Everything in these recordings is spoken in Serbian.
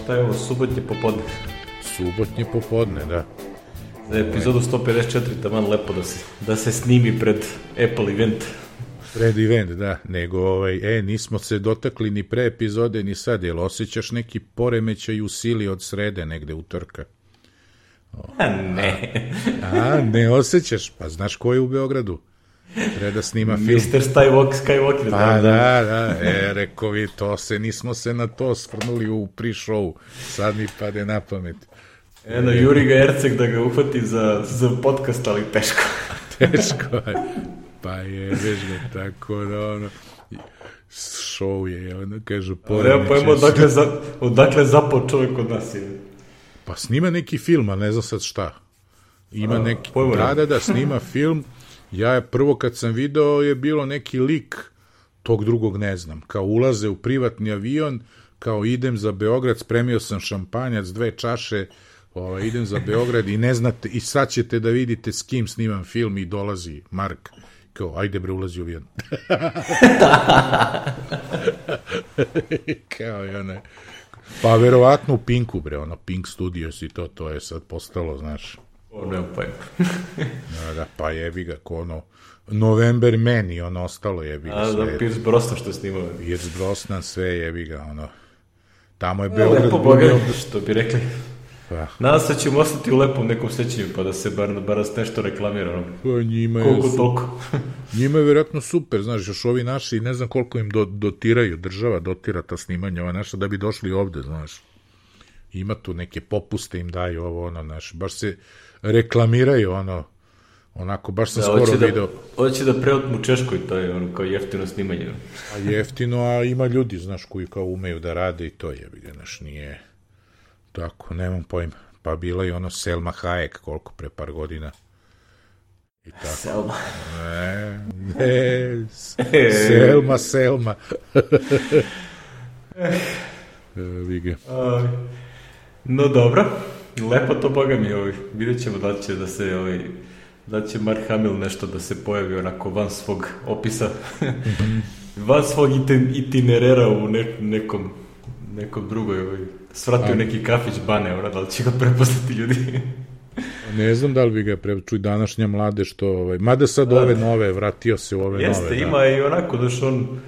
Šta je ovo, subotnje popodne? Subotnje popodne, da. Za epizodu 154 taman lepo da se snimi pred Apple event. Pred event, da. Nego, nismo se dotakli ni pre epizode, ni sad. Jel osjećaš neki poremećaj u sili od srede negde utorka? Ne. Ne osjećaš? Pa znaš ko je u Beogradu? Treba da snima film. Mr. Skywalker. Pa da. Rekao vi, nismo se na to svrnuli u pre-show. Sad mi pade na pamet. Juri ga Erceg da ga uhvati za podcast, ali teško. Teško je. Pa je, već ga tako da show je, kažu poremeće. Treba pojmo odakle zapao čovjek od nas je. Pa snima neki film, a ne znam sad šta. Ima neki, da, snima film. Ja prvo kad sam video je bilo neki lik, tog drugog ne znam, kao ulaze u privatni avion, kao idem za Beograd, spremio sam šampanjac, 2 čaše, idem za Beograd i ne znate, i sad ćete da vidite s kim snimam film i dolazi Mark, kao, ajde bre, ulazi u avion. Kao i one, pa verovatno u Pinku bre, Pink Studios i to je sad postalo, znaš. Nemam pojma. Da, pa jebi ga, November Man i ostalo jebi ga sve. Da, Pierce Brosnan što je snimao. Pierce Brosnan, sve jebi ga, tamo je Beograd. Lepo Boga, što bi rekli. Pa. Nadam se da ćemo ostati u lepom nekom sećanju, pa da se bar nešto reklamira. Pa toliko. Njima je vjerojatno super, znaš, još ovi naši, ne znam koliko im dotiraju, država dotira ta snimanja, ova naša, da bi došli ovde, znaš. Ima tu neke popuste im daju, znaš, baš se reklamiraju, onako, baš sam skoro video. Hoće da preotmu Češkoj, to je kao jeftino snimanje. A jeftino, a ima ljudi, znaš, koji kao umeju da rade i to je, znaš, nije tako, nemam pojma. Pa bila je Selma Hayek, koliko pre par godina. I tako. Selma. Selma. Vige. No dobro, lepo to Boga mi, vidjet ćemo da će Mark Hamill nešto da se pojavi onako van svog opisa, van svog itinerera u nekom drugoj, svratio neki kafić Bane, da li će ga prepoznati ljudi? Ne znam da li bi ga čuj današnja mlade što, mada sad ove nove, vratio se u ove nove. Jeste, ima i onako da što on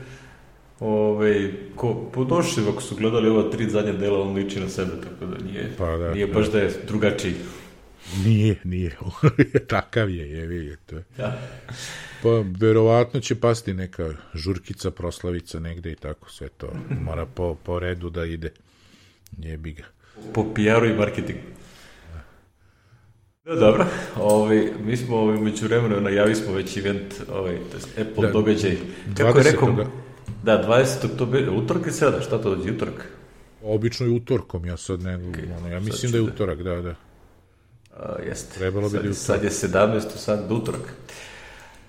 podošli, ako su gledali ova 3 zadnja dela, on liči na sebe, tako da nije baš da je drugačiji. Nije, takav je vidite. Da. Pa verovatno će pasti neka žurkica, proslavica negde i tako sve to, mora po redu da ide, jebi ga. Po PR-u i marketingu. Dobro, mi smo među vremenu najavili smo već event, Apple događaj. Kako je rekao? Da, 20. to bi, utorak je sada, šta to dođe, utorak? Obično je utorkom, ja sad ne, ja mislim da je utorak, da. Jeste. Trebalo bi da je utorak. Sad je 17. sad utorak.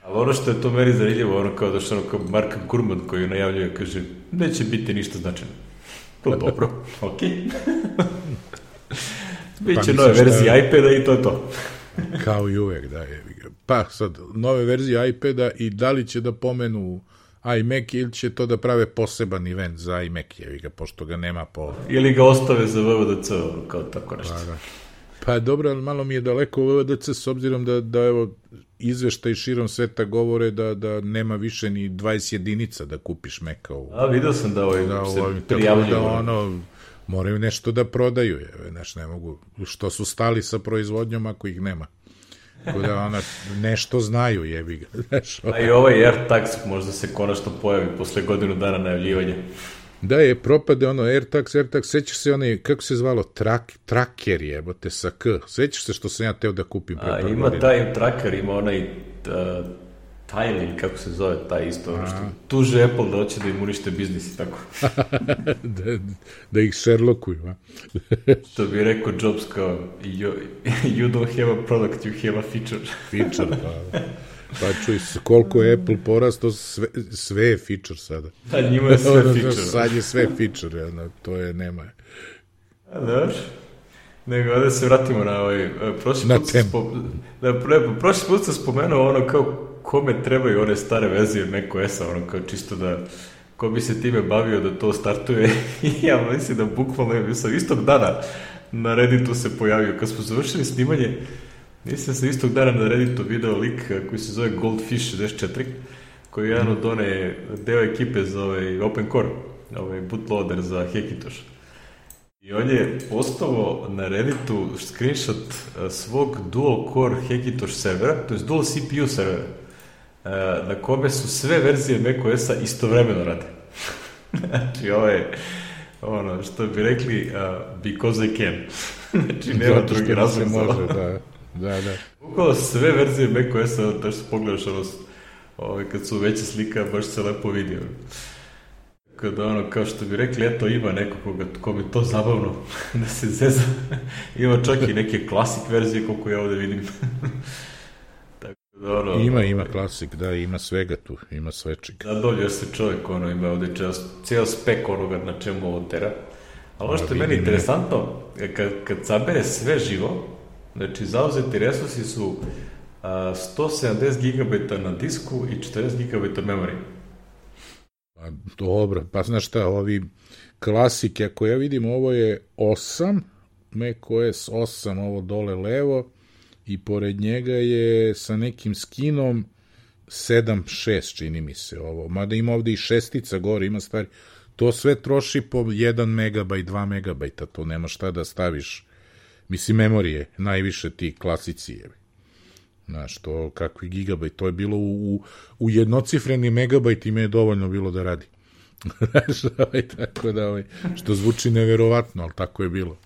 Ali što je to meni zanimljivo, kao došao kao Mark Gurman koji najavljuje, kaže, neće biti ništa značajno. To je dobro, okej. Biće nove verzije iPada i to je to. Kao i uvek, da je. Pa sad, nove verzije iPada i da li će da pomenu iMac ili će to da prave poseban event za iMac, pošto ga nema po... Ili ga ostave za VVDC, kao tako nešto. Pa dobro, ali malo mi je daleko VVDC s obzirom da evo, izveštaj širom sveta govore da nema više ni 20 jedinica da kupiš Maca. Vidio sam da se prijavljuju. Moraju nešto da prodaju, ne mogu, što su stali sa proizvodnjom ako ih nema. Tako da nešto znaju, jebi ga. A i ovaj AirTags možda se konačno pojavi posle godinu dana najavljivanja. Da je, propade AirTags, sećaš se kako se zvalo, tracker jebote sa K, sećaš se što sam ja teo da kupim pre par godina. Ima taj tracker, ima onaj Tile, kako se zove, taj isto, što tuže Apple da hoće da im unište biznis i tako. Da ih Sherlockuju, a? Što bi rekao Jobs kao, you don't have a product, you have a feature. Feature, pa čuj, koliko je Apple porastao, sve je feature sada. Da, njima je sve feature. Sad je sve feature, to je, nema je. Dobro. Nego, da se vratimo na prošli put sam spomenuo kao kome trebaju one stare verzije macOS-a, kao čisto ko bi se time bavio da to startuje. I ja mislim da bukvalno sam istog dana na Redditu se pojavio. Kad smo završili snimanje, mislim sam istog dana na Redditu video lik koji se zove Goldfish 64, koji je jedan od one deo ekipe za Open Core, bootloader za Hackintosh. I on je postavio na Redditu screenshot svog dual core Hackintosh servera, to je dual CPU servera, na kome su sve verzije macOS-a istovremeno rade. Znači, ovo je ono što bi rekli because I can. Znači, nema drugi razlog za ovo. Da. Ukolo sve verzije macOS-a, da što pogledaš kad su veće slika, baš se lepo vidio. Kada kao što bi rekli, eto ima neko kome to zabavno da se zeza. Ima čak i neke klasik verzije koliko ja ovde vidim. Ima klasik, da, ima svega tu, ima svečega. Zadovoljio se čovjek, ima ovde cijel spek onoga na čemu ovo tera. Ali ono što je meni interesantno, kad sabere sve živo, znači zauzeti resursi su 170 GB na disku i 40 GB memorije. Dobro, pa znaš šta, ovi klasike, ako ja vidim, ovo je 8, macOS 8, ovo dole levo, i pored njega je sa nekim skinom 7.6, čini mi se ovo, mada ima ovde i šestica gore, ima stvari, to sve troši po 1 MB, 2 MB, to nema šta da staviš, mislim, memorije, najviše ti klasici je. Znaš, to kakvi gigabajt, to je bilo u jednocifreni megabajt ima je dovoljno bilo da radi. Znaš, tako da, što zvuči neverovatno, ali tako je bilo.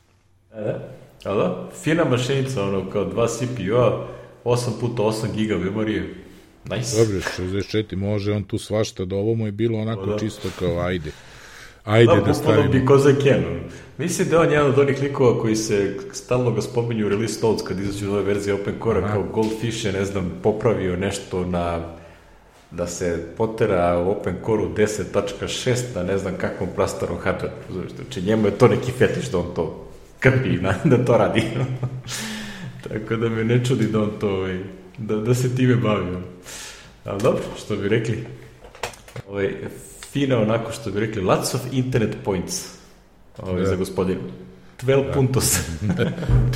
Da, fina mašinica, kao 2 CPU-a, 8x8 giga memorije, nice. Dobro, 64, može on tu svašta, da ovo mu je bilo onako čisto kao ajde da stavimo. Da, because I can. Mislim da on jedan od onih likova koji se stalno ga spominju u release notes kad izađu nove verzije Open Core-a, kao Goldfish je, ne znam, popravio nešto da se potera u Open Core-u 10.6 na ne znam kakvom prastarom hardware. Znači njemu je to neki fetiš da on to krpi, da to radi. Tako da me ne čudi da on to, da se time bavi. Ali dobro, što bi rekli, fina onako što bi rekli, lots of internet points za gospodinu. 12 puntos.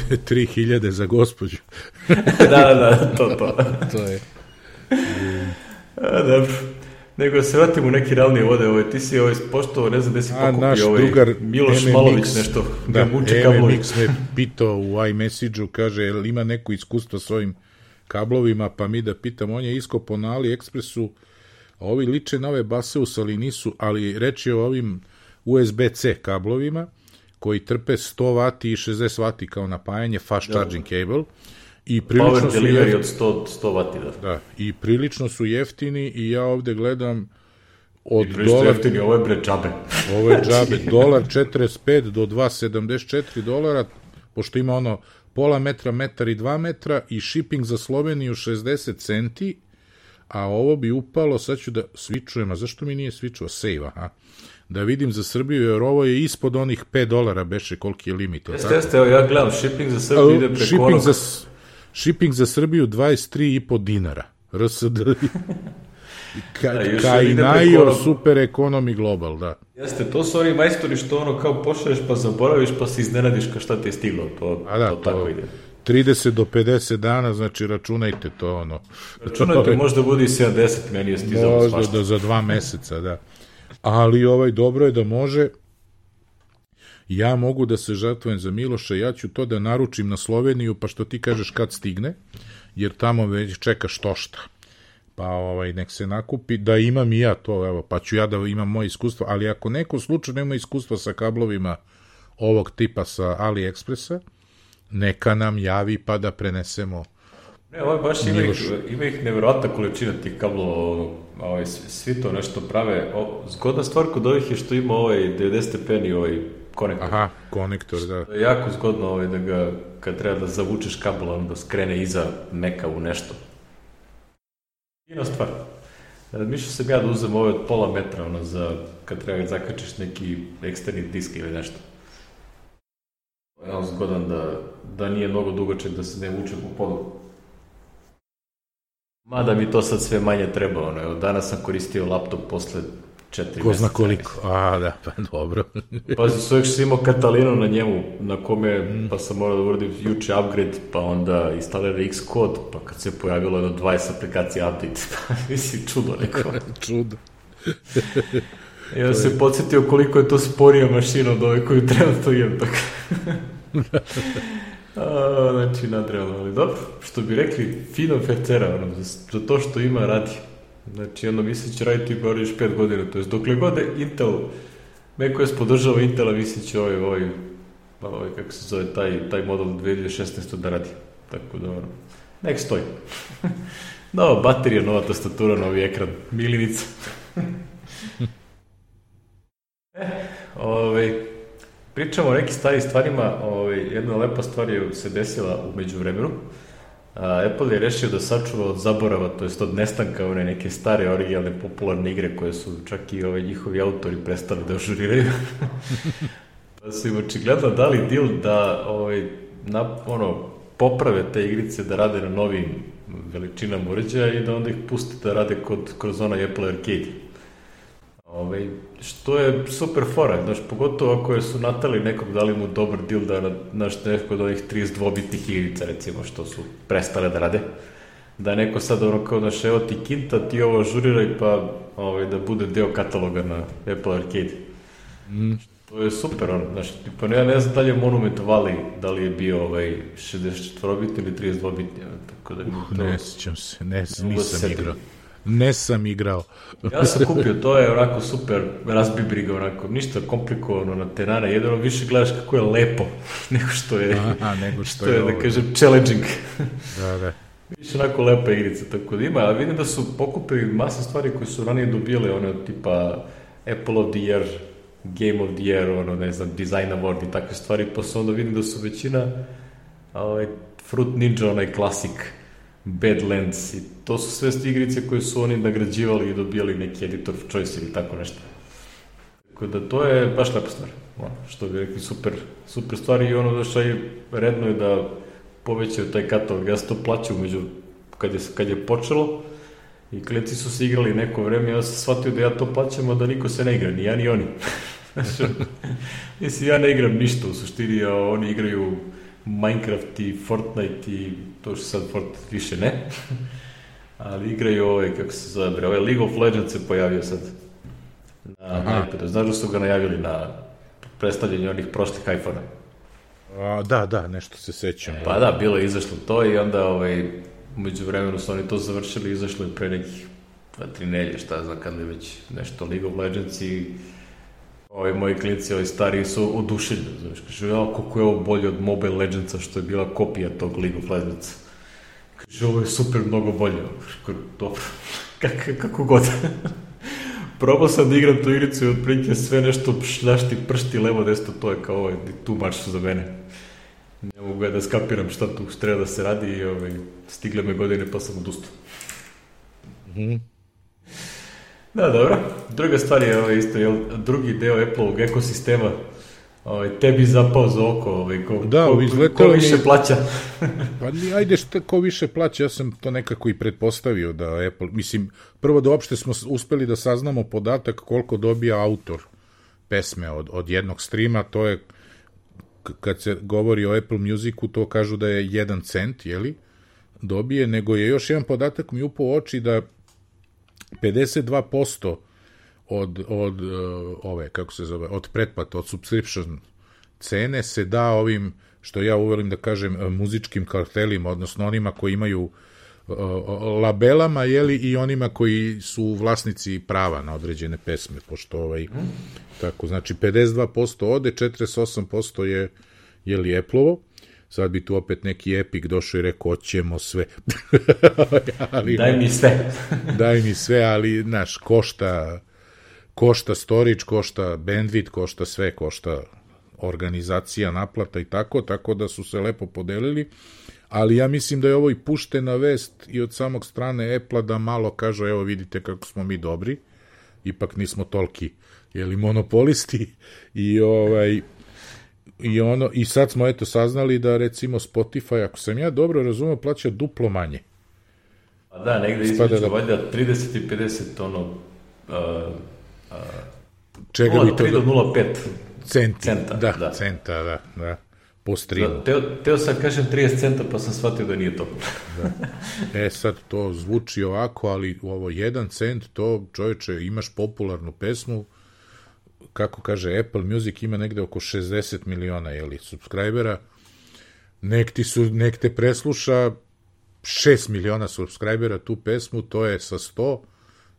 3000 za gospođu. Da, to. To je. Dobro. Nego se vratimo u neki realnije vode. Ti si poštovao, ne znam gde si pokupio Miloš Malović nešto. Da, MMX me pitao u iMessage-u, kaže, jel ima neko iskustvo s ovim kablovima, pa mi da pitam, on je iskopao na AliExpressu, a ovi liče na ove Baseus, ali nisu, ali reč je o ovim USB-C kablovima, koji trpe 100 W i 60 W kao napajanje, fast charging cable, i prilično su jeftini od 100 W, da, i prilično su jeftini, i ja ovde gledam od dolar... jeftini, ovo je bre džabe. Ovo je džabe, $1.45 do $2.74, pošto ima ono pola metra, metar i 2 metra, i shipping za Sloveniju 60 centi, a ovo bi upalo, sad ću da svičujem, a zašto mi nije svičuo? Save, aha. Da vidim za Srbiju, jer ovo je ispod onih $5, beše koliki je limit. Jeste, evo ja gledam, shipping za Srbiju ide preko onog... Shipping za Srbiju $23,5 dinara. RSD. Kainajo Super Economy Global, da. Jeste, to su oni majstori što kao pošalješ pa zaboraviš pa se iznenadiš kao šta ti je stiglo. To tako ide. 30 do 50 dana, znači računajte to Računajte, možda bude i 70, meni je stizalo svašta. Možda za 2 meseca, da. Ali dobro je da može. Ja mogu da se žrtvujem za Miloša, ja ću to da naručim na Sloveniju, pa što ti kažeš kad stigne, jer tamo već čeka štošta. Pa nek se nakupi, da imam i ja to, evo, pa ću ja da imam moje iskustvo, ali ako neko slučajno ima iskustva sa kablovima ovog tipa sa AliExpressa, neka nam javi pa da prenesemo. Ne, baš ima ih nevjerojatna količina tih kablova, svi to nešto prave. Zgodna stvar kod ovih je što ima 90 stepeni konektor. Aha, konektor, da. Jako zgodno da ga, kad treba da zavučeš kabel, onda skrene iza meka u nešto. Fina stvar. Mišljam sam ja da uzem ove od pola metra, kad treba da zakačiš neki eksterni disk ili nešto. Je zgodan da nije mnogo dugačak, da se ne vuče po podu. Mada mi to sad sve manje treba, danas sam koristio laptop posle 4 ko zna koliko, da, pa dobro. Pazi, sve još imao Catalinu na njemu, na kome, pa sam morao da uradim juče upgrade, pa onda instalira Xcode, pa kad se pojavilo jedno 20 aplikacija update, pa mislim, čudo neko. Čudo. Ja se podsjetio koliko je to sporija mašina od ove koju trenutno imam, tako. Znači, nadrealno, ali dobro, što bi rekli, fino fercera, za to što ima radi. Znači, mislim će raditi gore još 5 godina, to je dokle god Intel, neko podržava Intela, mislim će kako se zove, taj model 2016. da radi. Tako da, nek stoji. Nova baterija, nova tastatura, novi ekran, milinica. Pričamo o nekim starim stvarima, jedna lepa stvar je se desila u međuvremenu. Apple je rešio da sačuva od zaborava, to jest od nestanka one neke stare, originalne, popularne igre koje su čak i njihovi autori prestali da ažuriraju. Pa su im očigledno dali deal da poprave te igrice, da rade na novim veličinama uređaja i da onda ih puste da rade kroz onaj Apple Arcade. Što je super fora, pogotovo ako su natali nekog, dali mu dobar deal da neko od ovih 32-bitnih igrica, recimo, što su prestale da rade, da neko sad kao evo ti kinta, ti ovo ažuriraj, pa da bude deo kataloga na Apple Arcade. To je super, ja ne znam da li je Monument Valley, da li je bio 64-bitni ili 32-bitni, tako da... Ne sjećam se, nisam igrao. Ja sam kupio, to je onako super razbibriga, ništa komplikovano na tenane, jedino više gledaš kako je lepo, nego što je, da kažem, challenging. Da. Više onako lepa igrica, tako da ima, ali vidim da su pokupili masa stvari koje su ranije dobile, tipa Apple of the Year, Game of the Year, ne znam, Design Award i takve stvari, pa se onda vidim da su većina Fruit Ninja, onaj klasik, Badlands, i to su sve igrice koje su oni nagrađivali i dobijali neki editor of choice ili tako nešto. Tako da to je baš lepa stvar. Što bi rekli, super stvar, i redno je da povećaju taj katalog. Ja sam to plaćao kad je počelo i klijenti su se igrali neko vreme, ja sam shvatio da ja to plaćam, a da niko se ne igra, ni ja ni oni. Mislim, ja ne igram ništa u suštini, a oni igraju Minecraft i Fortnite i to što sad Fortnite više ne, ali igraju kako se zove, League of Legends se pojavio sad na iPadu. Znaš da su ga najavili na predstavljanju onih prošlih iPhone-a? Da, nešto se sećam. Pa da, bilo je izašlo to i onda umeđu vremenu su oni to završili, izašlo je pre nekih 2-3 nedelje, šta znam kad je već nešto League of Legends, i moji klinci, stariji su oduševljeni, znaš, kaže, koliko je ovo bolje od Mobile Legendsa, što je bila kopija tog League of Legendsa. Kaže, ovo je super, mnogo bolje. Dobro, kako god. Probao sam da igram tu igricu i otprilike sve nešto šljašti, pršti, levo, desno, to je kao tu marš za mene. Ne mogu da skapiram šta tu treba da se radi i stigle me godine pa sam odustao. Da, dobro. Druga stvar je isto, drugi deo Apple-ovog ekosistema, tebi zapao za oko, ko više plaća. Pa ajde, ko više plaća, ja sam to nekako i pretpostavio da Apple, mislim, prvo da uopšte smo uspeli da saznamo podatak koliko dobija autor pesme od jednog streama, to je, kad se govori o Apple Musicu, to kažu da je 1 cent, jeli, dobije, nego je još jedan podatak mi upao u oči da 52% od pretplata, od subscription cene se da ovim, što ja uvelim da kažem, muzičkim kartelima, odnosno onima koji imaju labelama, jeli, i onima koji su vlasnici prava na određene pesme, pošto tako, znači 52% ode, 48% je, jeli, Apple-ovo. Sad bi tu opet neki Epic došao i rekao, hoćemo sve. Daj mi sve. Daj mi sve, ali, znaš, košta storage, košta bandwidth, košta sve, košta organizacija, naplata i tako da su se lepo podelili, ali ja mislim da je ovo i puštena vest i od samog strane Apple-a da malo kažu, evo vidite kako smo mi dobri, ipak nismo toliki, jeli, monopolisti, i sad smo saznali da recimo Spotify, ako sam ja dobro razumio, plaća duplo manje. Da, negde između valjda 30 i 50 Čega bi to... 0,3 do 0,5 centa. Da, centa, da. Po streamu. Teo sam kažem 30 centa, pa sam shvatio da nije to. Da. Sad to zvuči ovako, ali ovo 1 cent, to čovječe, imaš popularnu pesmu, kako kaže Apple Music, ima negde oko 60 miliona, subscribera, nek te presluša 6 miliona subscribera tu pesmu, to je sa 100,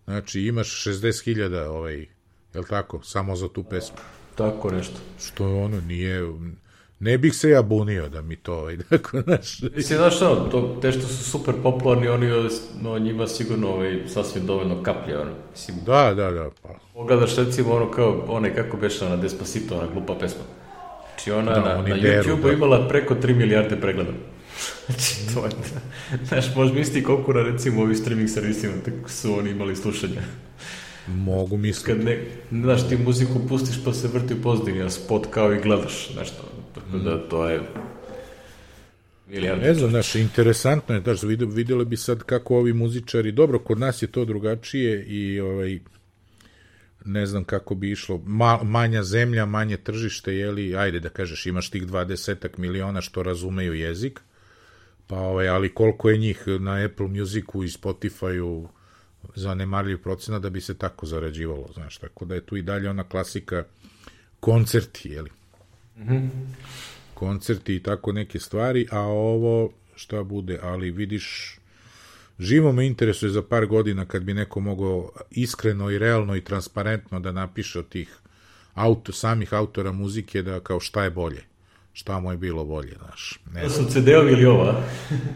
znači imaš 60.000, jel tako, samo za tu pesmu. Tako nešto. Što ono nije... Ne bih se ja bunio da mi to tako naš... Mislim, znaš te što su super popularni, oni njima sigurno sasvim dovoljno kaplje, Mislim, da. Pa. Pogledaš recimo kako beše ona Despacito, ona glupa pesma. Znači ona na YouTube-u imala preko 3 milijarde pregleda. Znači, to je... Znaš, možeš misliti koliko na recimo ovih streaming servisima su oni imali slušanja. Mogu misliti. Znaš, ti muziku pustiš pa se vrti u pozadini, a spot kao i gledaš, znaš to. Tako da to je milijarde. Ne znam, znaš, interesantno je, znaš, vidjeli bi sad kako ovi muzičari, dobro, kod nas je to drugačije i ne znam kako bi išlo, manja zemlja, manje tržište, ajde da kažeš, imaš tih 20 miliona što razumeju jezik, pa ali koliko je njih na Apple Musicu i Spotifyu zanemarljiv procenat da bi se tako zarađivalo, znaš, tako da je tu i dalje ona klasika koncerti, koncerti i tako neke stvari, a ovo šta bude, ali vidiš, živo me interesuje za par godina kad bi neko mogao iskreno i realno i transparentno da napiše od tih samih autora muzike da kao šta je bolje, šta mu je bilo bolje, znaš. To su CD-ovi ili ova?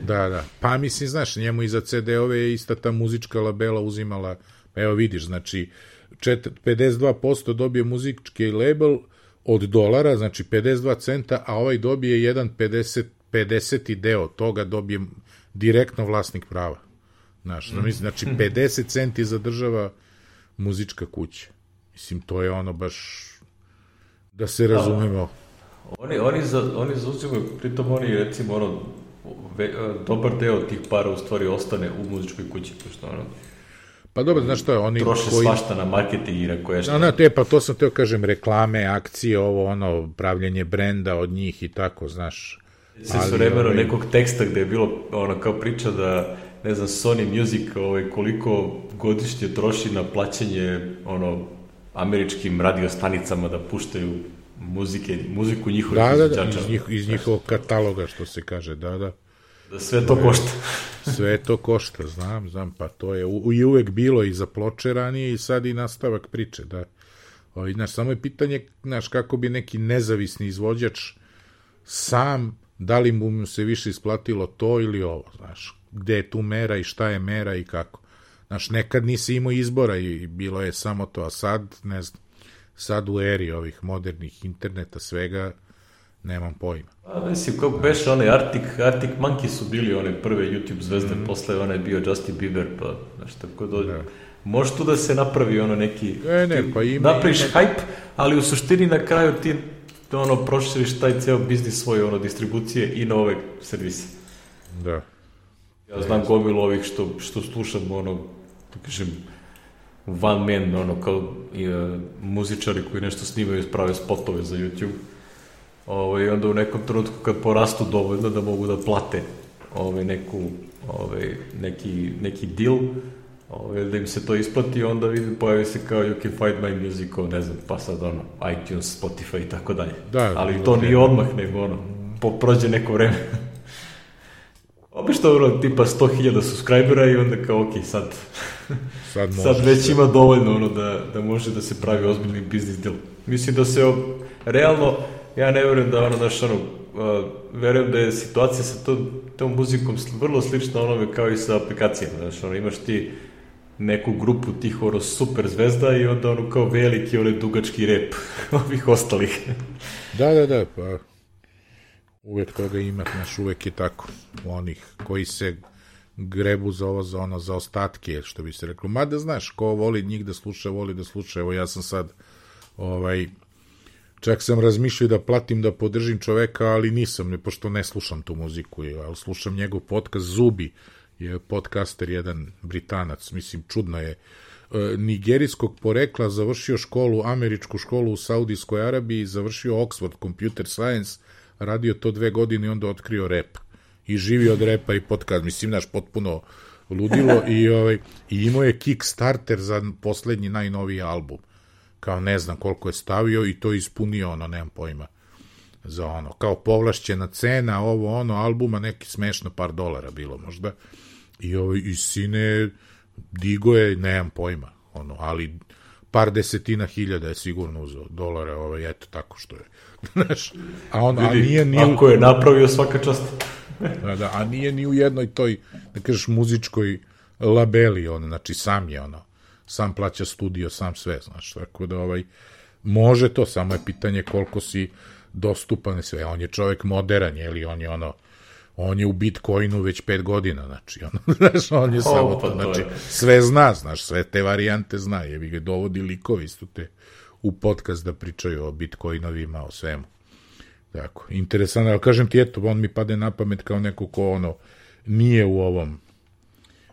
Da. Pa mislim, znaš, njemu i za CD-ove je ista ta muzička labela uzimala, evo vidiš, znači 52% dobije muzički label od $, znači 52 centa, a ovaj dobije jedan 50. deo toga dobije direktno vlasnik prava. Znaš, znači 50 centi zadržava muzička kuća. Mislim, to je ono baš da se razumemo. Oni zauzimaju, pritom oni recimo dobar deo tih para u stvari ostane u muzičkoj kući, pošto pa dobro, znaš što je, oni troše svašta na marketing i na koje što... Pa to sam teo kažem, reklame, akcije, pravljenje brenda od njih i tako, znaš. Se su vremeno nekog teksta gde je bilo kao priča da, ne znam, Sony Music koliko godišnje troši na plaćanje američkim radiostanicama da puštaju muziku njihovih izvođača. Iz njihovog kataloga, što se kaže, da. Da sve to košta. Sve to košta, znam, pa to je i uvek bilo i za ploče ranije i sad i nastavak priče, da. Znaš, samo je pitanje, znaš, kako bi neki nezavisni izvođač sam, da li mu se više isplatilo to ili ovo, znaš, gde je tu mera i šta je mera i kako. Znaš, nekad nisi imao izbora i bilo je samo to, a sad, ne znam, sad u eri ovih modernih interneta svega, nemam pojma. Mislim, kako beše onaj Arctic Monkey su bili one prve YouTube zvezde, posle onaj bio Justin Bieber, pa znaš, tako da može tu da se napravi neki, napraviš hype, ali u suštini na kraju ti proširiš taj ceo biznis svoje distribucije i na ove servise. Da. Ja znam gomilu ovih što slušam, da kažem, one man, kao muzičari koji nešto snimaju, prave spotove za YouTube. I onda u nekom trenutku kad porastu dovoljno da mogu da plate neki deal, da im se to isplati, onda vidim, pojavi se kao you can find my music, ne znam, pa sad iTunes, Spotify i tako dalje. Ali to nije odmah, nego prođe neko vreme. Obično tipa 100.000 subscribera i onda kao ok, sad već ima dovoljno da može da se pravi ozbiljni biznis deal. Mislim da se realno, ja ne verujem da verujem da je situacija sa tom muzikom vrlo slična onome kao i sa aplikacijama. Znaš, imaš ti neku grupu tih super zvezda i onda kao veliki dugački rep ovih ostalih. Da, pa uvek toga ima, znaš, uvek je tako. Onih koji se grebu za ostatke, što bi se reklo. Mada, znaš, ko voli njih da sluša, voli da sluša. Evo, ja sam sad čak sam razmišljao da platim da podržim čoveka, ali nisam, pošto ne slušam tu muziku, ali slušam njegov podcast Zubi, je podcaster, jedan Britanac, mislim, čudno je, nigerijskog porekla, završio američku školu u Saudijskoj Arabiji, završio Oxford Computer Science, radio to 2 godine i onda otkrio rep. I živi od repa i podcast, mislim, naš potpuno ludilo i imao je Kickstarter za poslednji najnoviji album. Kao ne znam koliko je stavio i to ispunio, nemam pojma, za kao povlašćena cena, albuma, neki smešno par $, bilo možda. I sine digo je, nemam pojma, ali par desetina hiljada je sigurno uzeo $, eto tako što je. Znaš, ako je napravio svaka čast. A nije ni u jednoj toj, da kažeš, muzičkoj labeli, znači sam je sam plaća studio, sam sve, znaš, tako da može to, samo je pitanje koliko si dostupan sve, on je čovek modern, ili on je u Bitcoinu već 5 godina, znači, znaš, on je samo to, znači, sve zna, znaš, sve te varijante zna, jebi ga dovodi likovi isto te u podcast da pričaju o Bitcoinovima, o svemu. Tako, interesantno, ali kažem ti, eto, on mi pade na pamet kao neko ko, nije u ovom,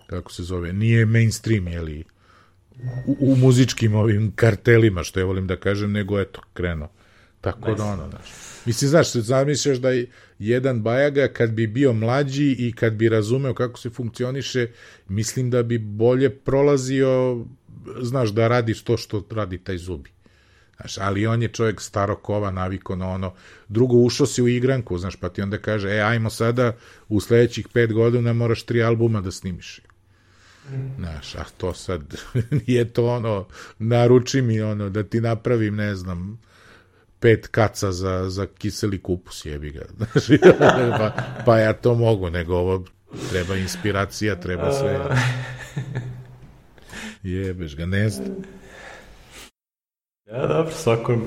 kako se zove, nije mainstream, jeli, u muzičkim ovim kartelima, što ja volim da kažem, nego, eto, krenuo. Tako da, znaš. Mislim, znaš, zamišljaš da jedan Bajaga, kad bi bio mlađi i kad bi razumeo kako se funkcioniše, mislim da bi bolje prolazio, znaš, da radiš to što radi taj Zubi. Znaš, ali on je čovjek starog kova, naviko na drugo, ušao si u igranku, znaš, pa ti onda kaže, ajmo sada, u sledećih 5 godina moraš 3 albuma da snimiš. Znaš, a to sad, nije to naruči mi da ti napravim, ne znam, 5 kaca za kiseli kupus, jebi ga. Znaš, pa ja to mogu, nego ovo treba inspiracija, treba sve. Jebeš ga, ne znam. Ja, dobro, svako,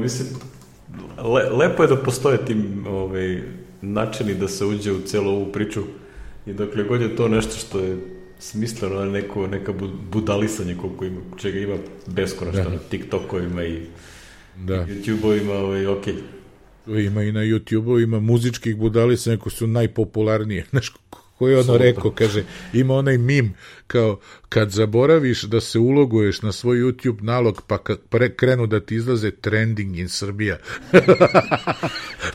mislim, lepo je da postoje tim načini da se uđe u celu ovu priču i dokle god je to nešto što je smisleno, neka budalisanje koliko ima, čega ima beskonačno na TikTokovima i YouTube-ovima, okej. Ima i na YouTube-u, ima muzičkih budalisanja koji su najpopularnije, znaš, koji je rekao, kaže, ima onaj mim, kao, kad zaboraviš da se uloguješ na svoj YouTube nalog, pa krenu da ti izlaze trending in Srbija.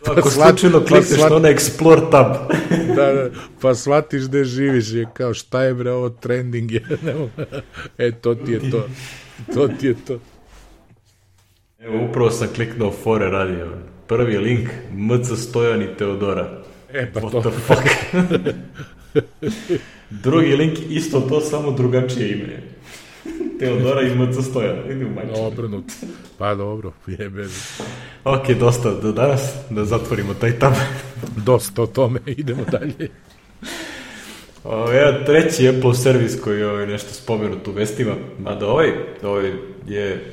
Ako slučajno klikneš na onaj Explore tab. Pa shvatiš gde živiš, je kao, šta je bre ovo trending je, to ti je to. To ti je to. Evo, upravo sam kliknuo fore radio. Prvi link, MC Stojan i Teodora. Pa What to. the fuck? Drugi link, isto to, samo drugačije ime. Teodora i MC Stojan. Idi u majčinu. Obrnut. Pa dobro, jebe. Ok, dosta do danas, da zatvorimo taj tab. Dosta o tome, idemo dalje. Jedan treći Apple servis koji je nešto spomenut u vestima, mada ovaj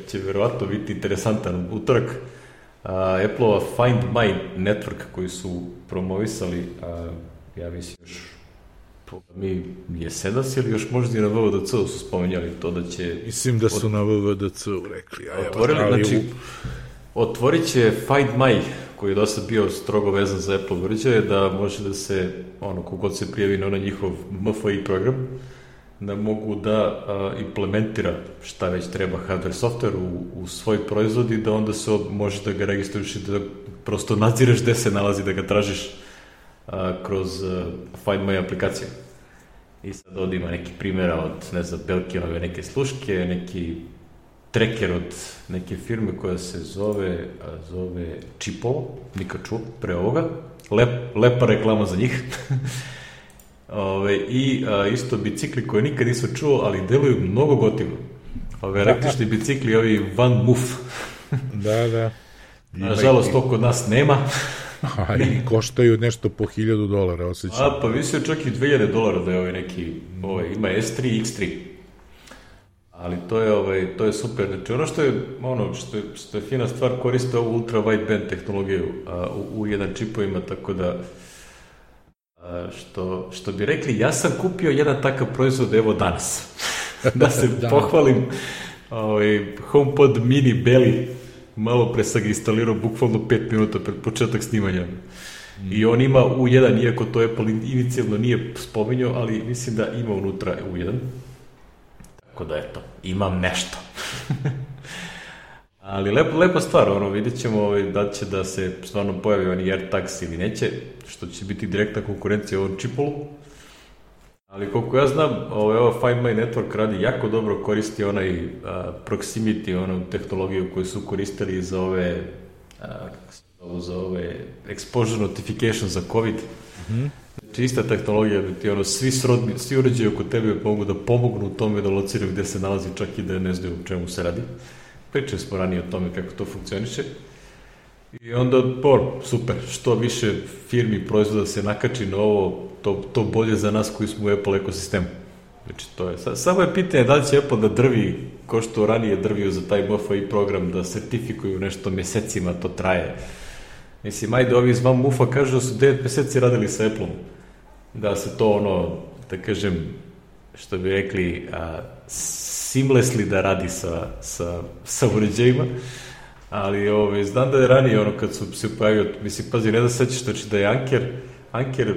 će verovatno biti interesantan utorak. Apple-ova Find My Network koji su promovisali, ja mislim još jesenas ili još možda i na WWDC-u su spomenjali to da će... Mislim da su na WWDC-u rekli. Otvorit će Find My, koji je dosta bio strogo vezan za Apple uređaje, da može da se, kogod se prijavi na onaj njihov MFI program, da mogu da implementira šta već treba hardware, software u svoj proizvod i da onda se može da ga registruješ i da prosto nadzireš gde se nalazi, da ga tražiš kroz Find My aplikaciju. I sad ovdje ima neki primjera od, ne znam, Belkinove neke sluške, neki tracker od neke firme koja se zove Chipovo, nikad čuo pre ovoga, lepa reklama za njih. I isto bicikli koje nikad nisam čuo, ali deluju mnogo gotivno. Električni bicikli, ovi Van Moof. Da. Nažalost, to kod nas nema. I koštaju nešto po $1,000, osjećam. Pa visio čak i $2,000 da je neki, ima S3, X3. Ali to je super. Znači što je fina stvar, koriste ovu ultra wideband tehnologiju u jedan čipovima, tako da što bi rekli, ja sam kupio jedan takav proizvod evo danas. Da se pohvalim, HomePod mini Belly, malo pre sam ga instalirao bukvalno 5 minuta pred početak snimanja. I on ima U1, iako to Apple inicijalno nije spominjao, ali mislim da ima unutra U1. Tako da, eto, imam nešto. Ali lepa stvar, vidjet ćemo da će da se stvarno pojavi oni AirTags ili neće, što će biti direktna konkurencija ovom čipolu. Ali koliko ja znam, Find My Network radi jako dobro, koristi onaj proximity, onu tehnologiju koju su koristili za ove exposure notification za COVID. Znači, ista tehnologija, ti svi uređaji oko tebe mogu da pomognu u tome da lociraju gde se nalazi, čak i da ne znaju o čemu se radi. Pričali smo ranije o tome kako to funkcioniše. I onda, super, što više firmi proizvoda se nakači na ovo, to bolje za nas koji smo u Apple ekosistemu. Znači, to je. Samo je pitanje da li će Apple da drvi, ko što ranije drvio za taj MFI program, da sertifikuju nešto mesecima, to traje. Mislim, ajde, ovi iz Van Mufa kažu da su 9 meseci radili sa Apple-om. Da se to, da kažem, što bi rekli, seamlessly da radi sa uređajima. Ali znam da je ranije, kad su se pojavio, mislim, pazi, ne da sećaš, znači da je Anker,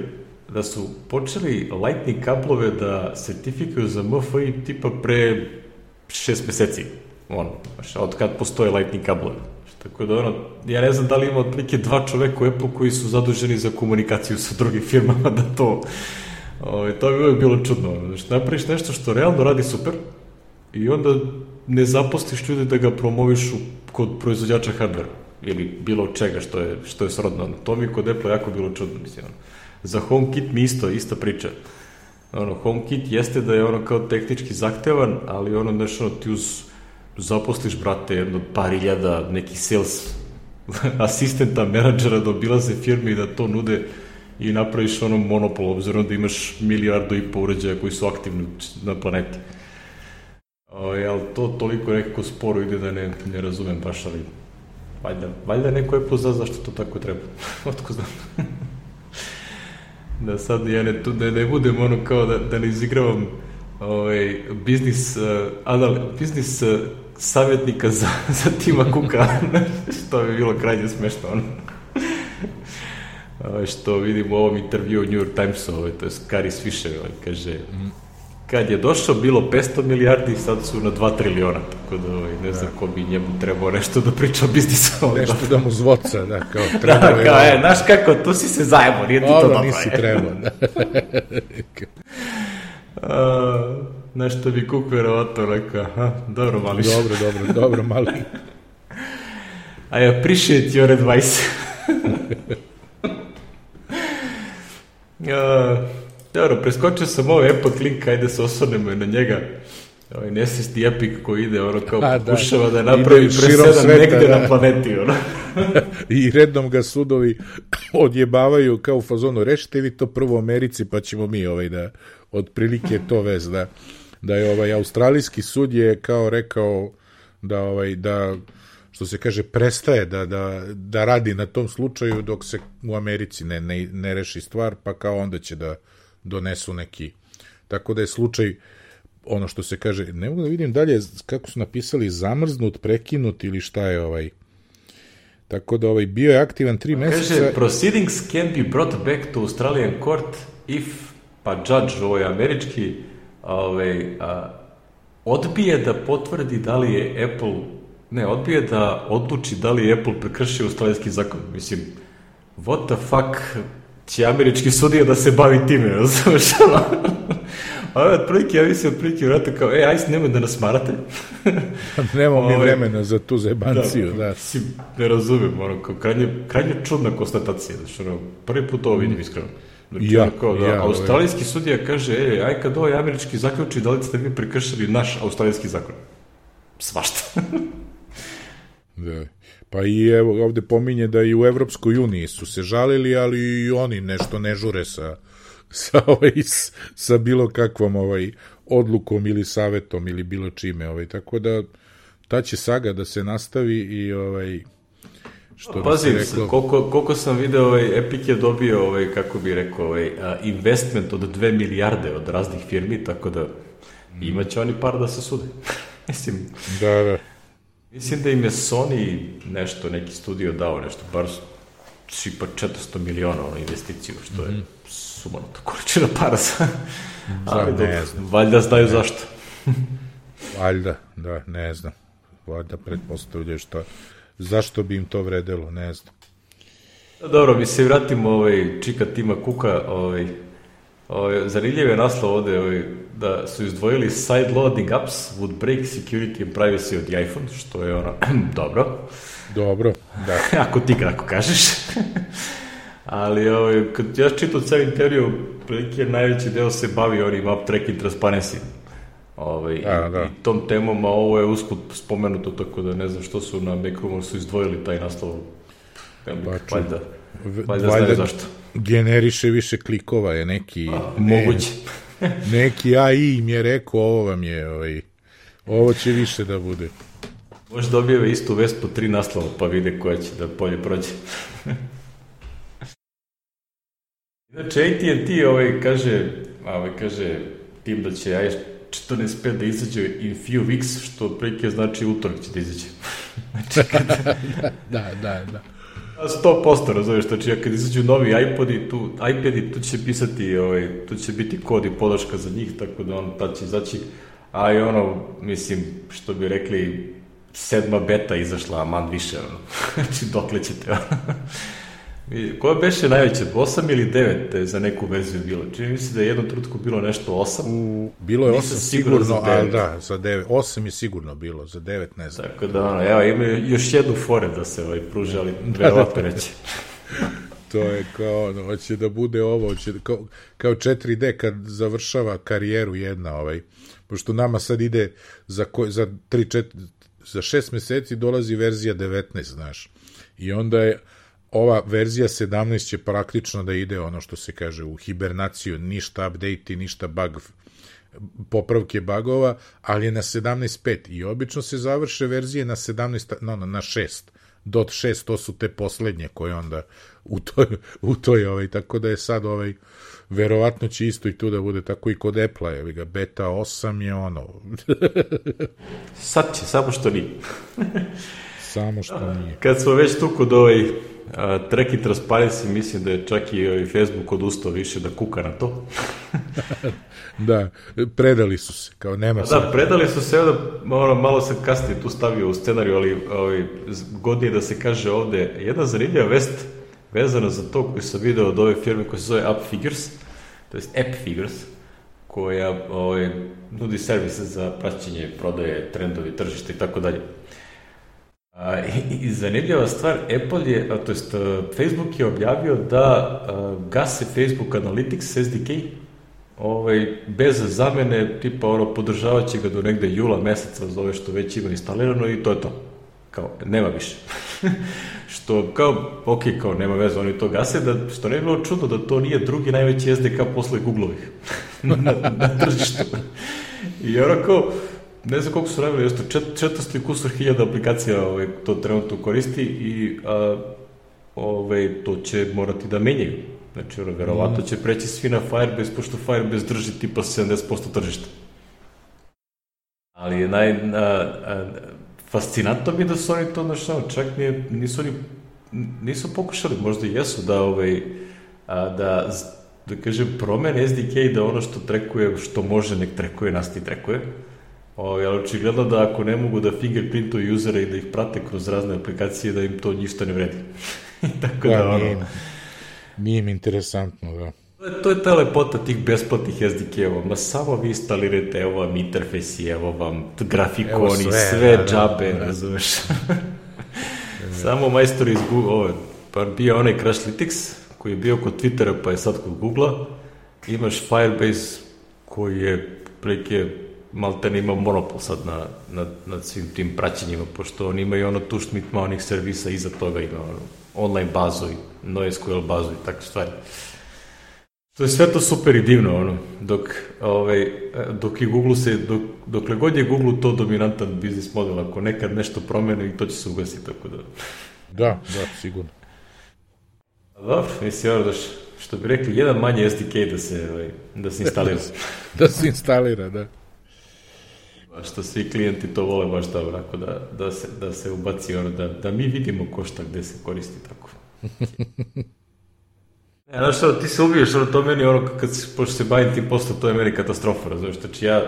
da su počeli Lightning kablove da sertifikuju za MFI tipa pre 6 meseci. Od kad postoje Lightning kablove. Tako da, ja ne znam da li ima otprilike 2 čoveka u Apple koji su zaduženi za komunikaciju sa drugim firmama, da to bi uvijek bilo čudno. Znači, napraviš nešto što realno radi super i onda ne zaposliš ljude da ga promoviš kod proizvođača hardvera ili bilo čega što je srodno. To mi kod Apple jako bilo čudno, mislim. Za HomeKit mi ista priča. HomeKit jeste da je kao tehnički zahtevan, ali ti zaposliš, brate, jedno par hiljada nekih sales asistenta, menadžera da obilaze firme i da to nude i napraviš monopol, obzirom da imaš 1,5 milijardu uređaja koji su aktivni na planeti. Ali to toliko nekako sporo ide da ne razumem baš, ali valjda neko je pozna zašto to tako treba. Otko znam. Da sad ja ne budem kao da ne izigravam biznis savjetnika za Tima Cooka, što bi bilo krajnje smešno. Što vidim u ovom intervju u New York Timesu, to je Gary Fisher, kaže, kad je došao bilo 500 milijardi, sad su na 2 triliona, tako da ne znam ko bi njemu trebao nešto da priča o biznisu. Nešto da mu zvoca, da, kao treba. Da, kao, znaš kako, tu si se zajebo, nije ti to dobro. Nisi trebao, da. Nešto bi Cook verovatno rekao, dobro mali. Dobro mali. I appreciate your advice. Dobro, preskočio sam ovaj Epic link, ajde se osvrnemo na njega. Nesvesti Epic koji ide, kao pokušava da napravi presedan negde na planeti. I redom ga sudovi odjebavaju kao u fazonu, rešite vi to prvo u Americi, pa ćemo mi da otprilike to vez, da je australijski sud je kao rekao da što se kaže, prestaje da radi na tom slučaju dok se u Americi ne reši stvar, pa kao onda će da donesu neki. Tako da je slučaj, ono što se kaže, ne mogu da vidim dalje kako su napisali, zamrznut, prekinut ili šta je Tako da bio je aktivan 3 meseca. Kaže, proceedings can be brought back to Australian court if, pa judge, američki, odbije da potvrdi da li je Apple, odbije da odluči da li je Apple prekršio australijski zakon. Mislim, what the fuck će američki sudija da se bavi time, razumeš? Ja mislim otprilike vrata kao, ajde, nemoj da nas marate. Nemamo mi vremena za tu zebanciju, da. Mislim, ne razumem, krajnje čudna konstatacija, prvi put ovo vidim iskreno. Australijski sudija kaže, aj kad ovaj američki zaključi, da li ste vi prekršili naš australijski zakon? Svašta. Da. Pa i evo ovde pominje da i u Evropskoj uniji su se žalili, ali i oni nešto ne žure sa bilo kakvom odlukom ili savetom ili bilo čime. Tako da ta će saga da se nastavi i što pazi, koliko sam video, Epic je dobio, kako bi rekao, investment od 2 milijarde od raznih firmi, tako da imaće oni par da se sude. Mislim, da. Mislim da im je Sony neki studio dao nešto, bar sipa 400 miliona investiciju, što je sumanuta količina para za... Ali ne znam. Valjda znaju zašto. Valjda, da, ne znam. Valjda pretpostavljaju zašto bi im to vredelo, ne znam. Dobro, mi se vratimo čika Tima Cooka, zanimljiv je naslov ovde da su izdvojili side loading apps would break security and privacy od the iPhone, što je dobro. Dobro, da. Ako ti kako kažeš. Ali kad ja čitam cijelu teoriju, prilike najveći deo se bavi onim app tracking transparency. I tom temom, a ovo je usput spomenuto, tako da ne znam što su na Macroomu su izdvojili taj naslov. Valjda znaju zašto. Generiše više klikova je neki... Moguće. Neki AI im je rekao, ovo vam je, ovo će više da bude. Možda dobijeve istu vest po 3 naslova, pa vide koja će da bolje prođe. Znači, AT&T kaže tim da će iOS 14.5 da izađe in few weeks, što prike znači utorak će da izađe. Da. 100%, razumiješ, znači kad izađu novi iPadi, tu će pisati, tu će biti kod i podrška za njih, tako da tad će izaći, a i mislim, što bi rekli, 7. beta izašla, a man više, znači dokle ćete, Koja beše najveće, 8 ili 9 za neku verziju bilo? Čini mi se da je jednom trutku bilo nešto 8. Bilo je 8 sigurno, ali da, za 9. 8 je sigurno bilo, za 9 ne znam. Tako da, evo, imaju još jednu fore da se pruže, ali verovatno neće. To je kao, hoće da bude ovo, kao 4D kad završava karijeru jedna, pošto nama sad ide za 6 meseci dolazi verzija 19, znaš. I onda je ova verzija 17 će praktično da ide ono što se kaže u hibernaciju, ništa update, ništa popravke bugova, ali je na 17.5 i obično se završe verzije na 17, na 6. Dot 6, to su te poslednje koje onda u toj tako da je sad verovatno će isto i tu da bude tako i kod Apple-a, beta 8 je Sad će, samo što nije. Samo što nije. Kad smo već tu kod tracking transparency, mislim da je čak i Facebook odustao više da kuka na to. Da, predali su se, kao nema se. Da, predali su se, malo sam kasnije tu stavio u scenariju, ali godnije da se kaže ovde, jedna zanimljiva vest vezana za to koju sam video od ove firme koja se zove AppFigures, to je AppFigures, koja nudi servise za praćenje, prodaje, trendovi, tržište i tako dalje. I zanimljiva stvar, Apple je, to jest Facebook je objavio da gase Facebook Analytics SDK bez zamene, tipa podržavat će ga do negde jula meseca za ove što već ima instalirano i to je to. Kao, nema više. Što kao, ok, kao nema veze, oni to gase, što ne je bilo čudno da to nije drugi najveći SDK posle Google-ovih na tržištu. I kao, ne znam koliko su radili, 400 kusur hiljada aplikacija to trenutno koristi i to će morati da menjaju. Znači, verovatno će preći svi na Firebase, pošto Firebase drži tipa 70% tržišta. Ali fascinantno mi da su oni to čak nisu pokušali, možda i jesu da kažem, promene SDK da ono što trekuje, što može nek trekuje, nas ti trekuje. Ali očigledno da ako ne mogu da fingerprintuju usere i da ih prate kroz razne aplikacije, da im to ništa ne vredi. Tako da, nije im interesantno, da. To je ta lepota tih besplatnih SDK-eva. Ma samo vi instalirate, evo vam interfejsi, evo vam grafikoni, sve džabe, razumeš. Samo majstori iz Google, pa bio onaj Crashlytics, koji je bio kod Twittera, pa je sad kod Google-a. Imaš Firebase, koji je preke malte ne ima monopol sad nad svim tim praćenjima, pošto oni imaju tu šmitma onih servisa, iza toga ima online bazu i NoSQL bazu i takve stvari. To je sve to super i divno, dok je Google dokle god je Google to dominantan biznis model, ako nekad nešto promene i to će se ugasiti, tako da... Da, sigurno. Dobro, mislim, što bi rekli, jedan manje SDK da se instalira. Da se instalira, da. Što svi klijenti to vole baš da se ubaci, da mi vidimo ko šta gde se koristi, tako. Znaš što, ti se ubiješ, to meni pošto se bavim tim poslom, to je meni katastrofa, razumiješ, znači ja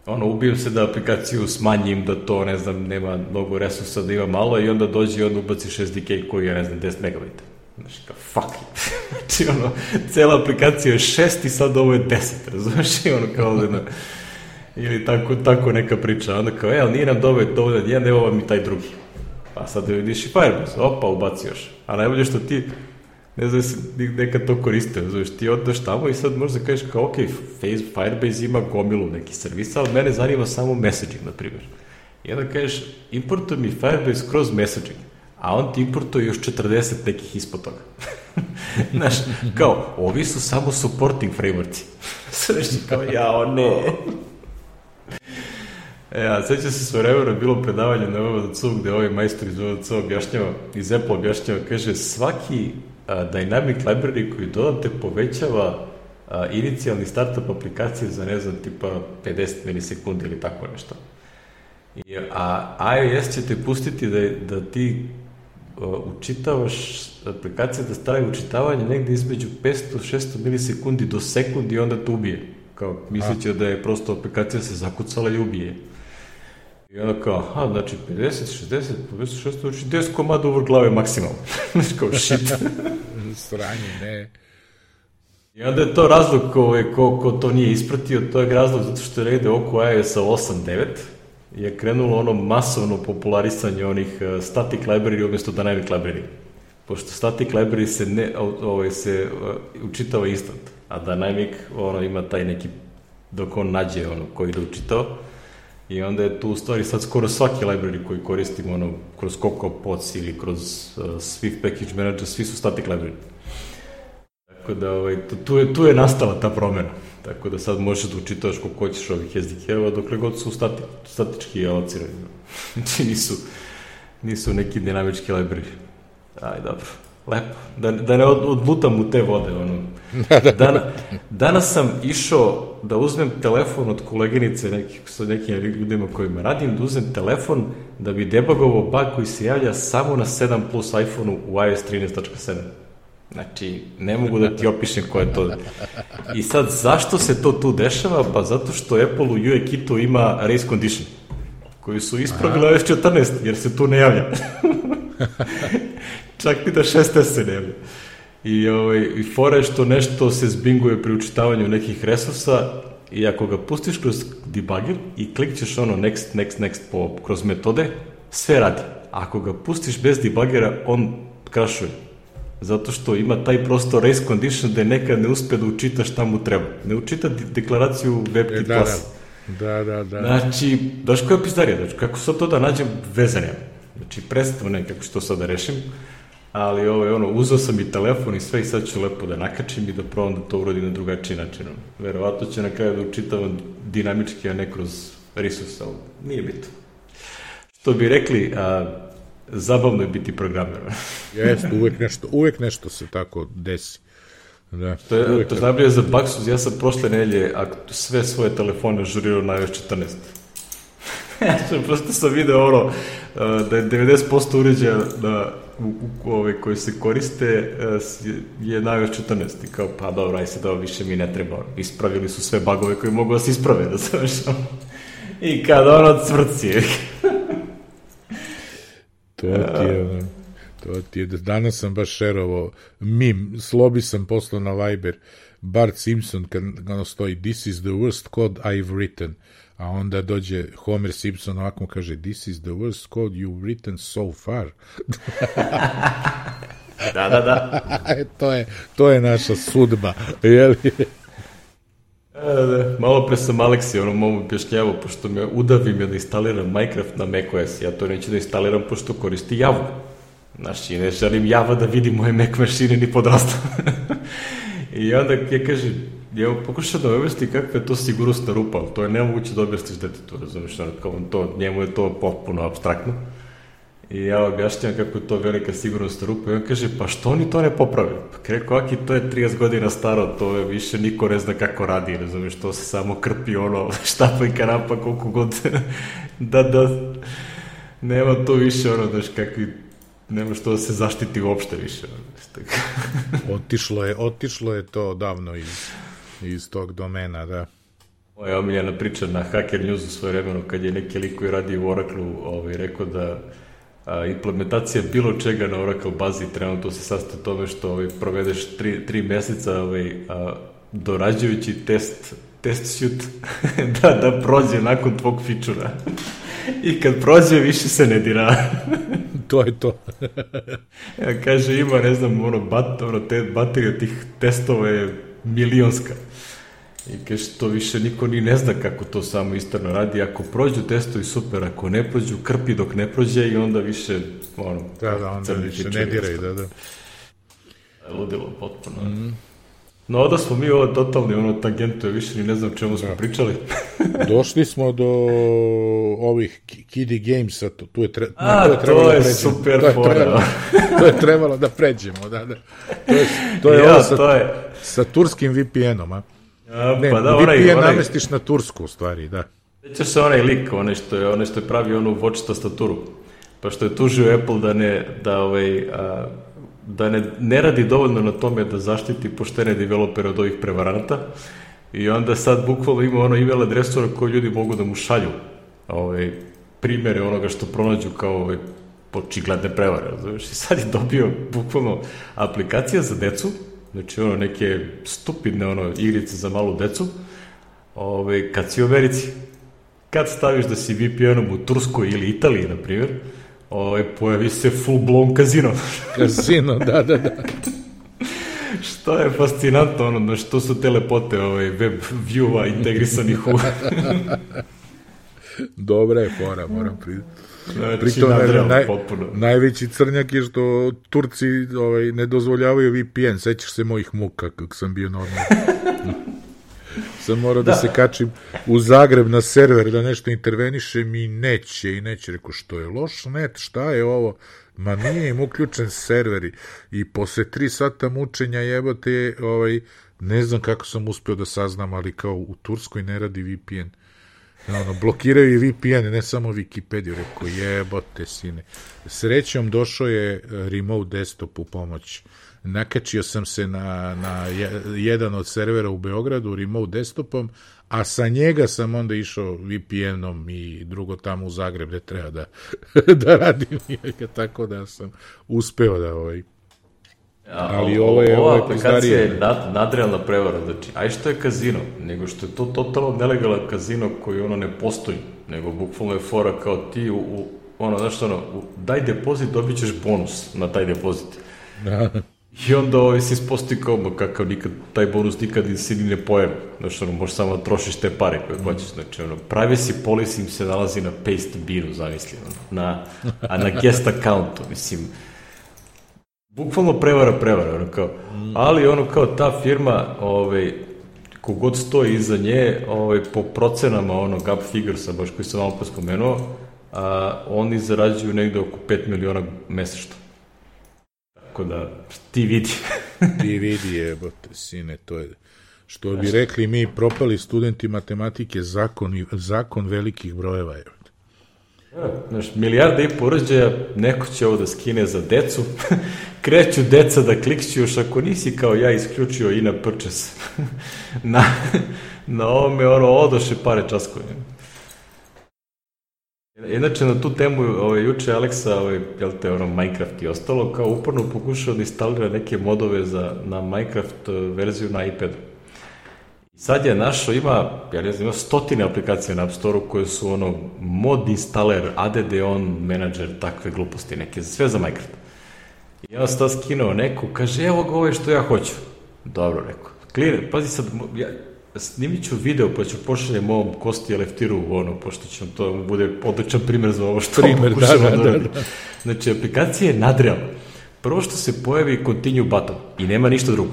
ubijem se da aplikaciju smanjim, da to, ne znam, nema mnogo resursa, da ima malo i onda dođe i onda ubaci SDK koji je, ne znam, 10 megabajta. Znači, kao, fuck it. Znači, cela aplikacija je 6 i sad ovo je 10, razumiješ, i kao da ili tako neka priča, onda kao, ali nije nam dovoljan jedan, evo vam i taj drugi. Pa sad vidiš i Firebase, opa, ubaci još. A najbolje što ti, ne znam se nekad to koriste, znaš, ti oddaš tamo i sad možda kažeš kao, ok, Firebase ima gomilu neki servisa, ali mene zanima samo messaging, na primjer. I onda kažeš, importuj mi Firebase kroz messaging, a on ti importuje još 40 nekih ispod toga. Znaš, kao, ovi su samo supporting frameworkci. Znaš, kao, jao, ne. Sveća se sve vremena bilo predavanje na VVDC gde ovaj majstor iz VVDC objašnjava, iz Apple objašnjava, kaže, svaki dynamic library koji dodate povećava inicijalni startup aplikacije za, ne znam, tipa 50 milisekundi ili tako nešto. A iOS će te pustiti da ti učitavaš aplikacije, da staje učitavanje negde između 500-600 milisekundi do sekundi i onda te ubije. Kao, misleći da je prosto aplikacija se zakucala i ubije. I onda kao, znači 50, 60, 56, znači 10 komada uvr glave maksimalno. Znači kao, shit. Sranje, ne. I onda je to razlog ko to nije ispratio, to je razlog zato što je negde oko iOS-a 8.9 je krenulo masovno popularisanje onih static library umjesto dynamic library. Pošto static library se učitava instant, a dynamic ima taj neki, dok on nađe koji da učitao. I onda je tu u stvari sad skoro svaki library koji koristimo kroz CocoaPods ili kroz Swift Package Manager, svi su static library. Tako da tu je nastala ta promjena. Tako da sad možeš da učitavaš koliko hoćeš ovih SDK-eva dokle god su statički alocirani. Znači nisu neki dinamički library. Aj, dobro. Lepo. Da ne odlutam u te vode. Danas sam išao da uzmem telefon od koleginice sa nekim ljudima kojima radim, da uzmem telefon da bi debugovao bug koji se javlja samo na 7 plus iPhone-u u iOS 13.7. Znači, ne mogu da ti opišem ko je to. I sad, zašto se to tu dešava? Pa zato što Apple u UI kitu ima race condition, koji su ispravili iOS 14, jer se tu ne javlja. Čak i da 6S se ne javlja. I fora je što nešto se zbinguje pri učitavanju nekih resursa i ako ga pustiš kroz debugger i klikćeš next kroz metode, sve radi. Ako ga pustiš bez debuggera, on krašuje. Zato što ima taj prosto race condition da nekad ne uspe da učita šta mu treba. Ne učita deklaraciju WebKit klase. Da. Znači, daš koja pizdarija, znači, kako sad to da nađem vezanja. Znači, predstavno nekako što sad da rešim, ali uzeo sam i telefon i sve i sad ću lepo da nakačim i da probam da to uradim na drugačiji način. Verovatno će na kraju da učitavam dinamički, a ne kroz resurs, ali nije bitno. Što bi rekli, zabavno je biti programer. Jeste, uvek nešto se tako desi. Da, to je najbolje za Baksuz, ja sam prošle nedelje sve svoje telefone žurirao na iOS 14. Prosto sam video da je 90% uređaja koji se koriste je na iOS 14. I kao, pa dobro, aj se da više mi ne treba. Ispravili su sve bugove koji mogu da se isprave, da završam. I kada cvrci. To ti je, danas sam baš šerovao mim, slobi sam poslao na Viber, Bart Simpson, kad stoji, this is the worst code I've written, a onda dođe Homer Simpson, ovako mu kaže, this is the worst code you've written so far. Da. To je naša sudba, jel? Malo pre sam Aleksi mom objašnjavao, pošto me udavim da instaliram Minecraft na macOS, ja to neću da instaliram pošto koristi Javu. Znači, ne želim Java da vidi moje Mac mašine ni podrasta. I onda ja kažem, ja pokušao da objasni kakva je to sigurnosna rupa, ali to je nemoguće da objasniš detetu, razumiješ, njemu je to potpuno apstraktno. I ja objašnjam kako je to velika sigurnosna rupa i on kaže, pa što oni to ne poprave? Pa rekao, aki, to je 30 godina staro, to je više niko ne zna kako radi, razumiješ, to se samo krpi štapa i kanapa koliko god da nema to više daš kakvi Nema što da se zaštiti uopšte više. Otišlo je to davno iz tog domena, da. Ovo je omiljena priča na Hacker Newsu svoje vremeno, kad je neki lik koji radi u Oracle-u rekao da implementacija bilo čega na Oracle bazi trenutno se sastoji u tome što provedeš 3 meseca dorađujući test suite da prođe nakon tvog fičura. I kad prođe, više se ne dira. To je to. Kaže, ima, ne znam, baterija tih testova je milionska. I kaže, to više niko ni ne zna kako to samo istorno radi. Ako prođu testovi, super. Ako ne prođu, krpi dok ne prođe i onda više, onda više ne diraj, da. Ludilo, potpuno. No, da smo mi ovo totalni tangentu, više ni ne znam čemu smo pričali. Došli smo do ovih Kiddie Gamesa, to je super fora. To je trebalo da pređemo, da. To je sa turskim VPN-om, a? VPN namestiš na tursku, u stvari, da. Sjećaš se onaj lik, onaj što je pravio onu watch tastaturu, pa što je tužio Apple da ne radi dovoljno na tome da zaštiti poštene developere od ovih prevaranata i onda sad bukvalno ima email adresu na koju ljudi mogu da mu šalju primere onoga što pronađu kao očigledne prevare. Znači, sad je dobio bukvalno aplikacija za decu, znači neke stupidne igrice za malu decu, kad si u Americi. Kad staviš da si VPN-om u Turskoj ili Italiji, na primjer, pojavi se full-blown kazino. Kazino, da. Što je fascinantno, što su telepote web view-a integrisanih u... Dobra je fora, moram pritom najveći crnjak je što Turci ne dozvoljavaju VPN, sećaš se mojih muka kako sam bio normalno. Sam morao da se kačim u Zagreb na server da nešto intervenišem i neće, rekao što je loš net, šta je ovo, ma nije im uključen server i posle 3 sata mučenja jebote, ne znam kako sam uspeo da saznam, ali kao u Turskoj ne radi VPN. Blokiraju i VPN, ne samo Wikipediju, rekao jebote sine. Srećom došao je remote desktop u pomoć. Nakačio sam se na jedan od servera u Beogradu remote desktopom, a sa njega sam onda išao VPN-om i drugo tamo u Zagreb gde treba da radim njega, tako da sam uspeo da ali ova aplikacija je nadrealna prevara, znači, aj što je kazino, nego što je to totalno nelegalan kazino koji ne postoji, nego bukvalno je fora kao ti daj depozit, dobit ćeš bonus na taj depozit. I onda se ispostoji kao kakav taj bonus nikad se ni ne pojavi. Znači, možeš samo da trošiš te pare koje hoćeš. Znači, privacy policy im se nalazi na paste binu, zamisli, a na guest accountu, mislim. Bukvalno prevara, kao. Ali kao ta firma, kogod stoji iza nje, po procenama gap figuresa, baš koji sam malo pospomenuo, oni zarađuju negde oko 5 miliona mesečno. Tako da, ti vidi. Ti vidi, jebote, sine, to je, što bi rekli mi propali studenti matematike, zakon velikih brojeva, jebote. Znaš, milijarda i porođaja, neko će ovo da skine za decu, kreću deca da klikću, još ako nisi kao ja isključio i na purchase. Na ovome, odoše pare časkove. Inače, na tu temu, juče Aleksa, Minecraft i ostalo, kao uporno pokušao da instalira neke modove na Minecraft verziju na iPadu. Sad je našo, ima 100 aplikacija na App Store-u koje su mod installer, add on manager, takve gluposti neke, sve za Minecraft. I on sad skinuo neko, kaže, evo ga ovo što ja hoću. Dobro, rekao. Clear, pazi sad, snimit ću video pa ću pošaljem ovom Kosti Leftiru, pošto će to bude odličan primjer za ovo što pokušamo da radi. Znači, aplikacija je nadrealna. Prvo što se pojavi continue button i nema ništa drugo.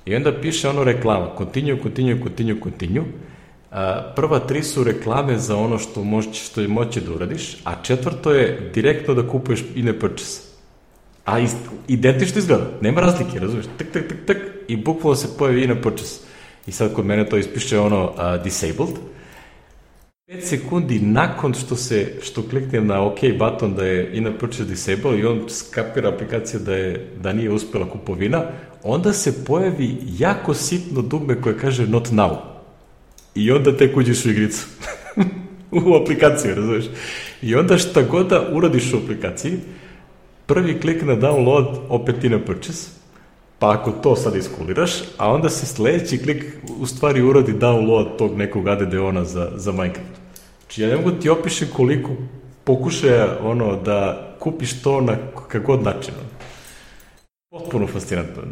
I onda piše reklama, continue. Prva 3 su reklame za ono što je moći da uradiš, a 4. je direktno da kupuješ in-app purchase. A identično izgleda, nema razlike, razumiješ? Tak, i bukvalno se pojavi in-app purchase. I sad kod mene to ispiše disabled. 5 sekundi nakon što kliknem na OK button da je in-app purchase disable i on skapira aplikacija da nije uspjela kupovina, onda se pojavi jako sitno dugme koje kaže not now. I onda tek uđeš u igricu. U aplikaciju, razumiješ? I onda šta god da uradiš u aplikaciji, prvi klik na download, opet in-app purchase, pa ako to sad iskuliraš, a onda se sljedeći klik u stvari uradi download tog nekog ADD-ona za Minecraft. Znači ja ne mogu ti opišem koliko pokušaja da kupiš to na kakvog način. Potpuno fascinantno.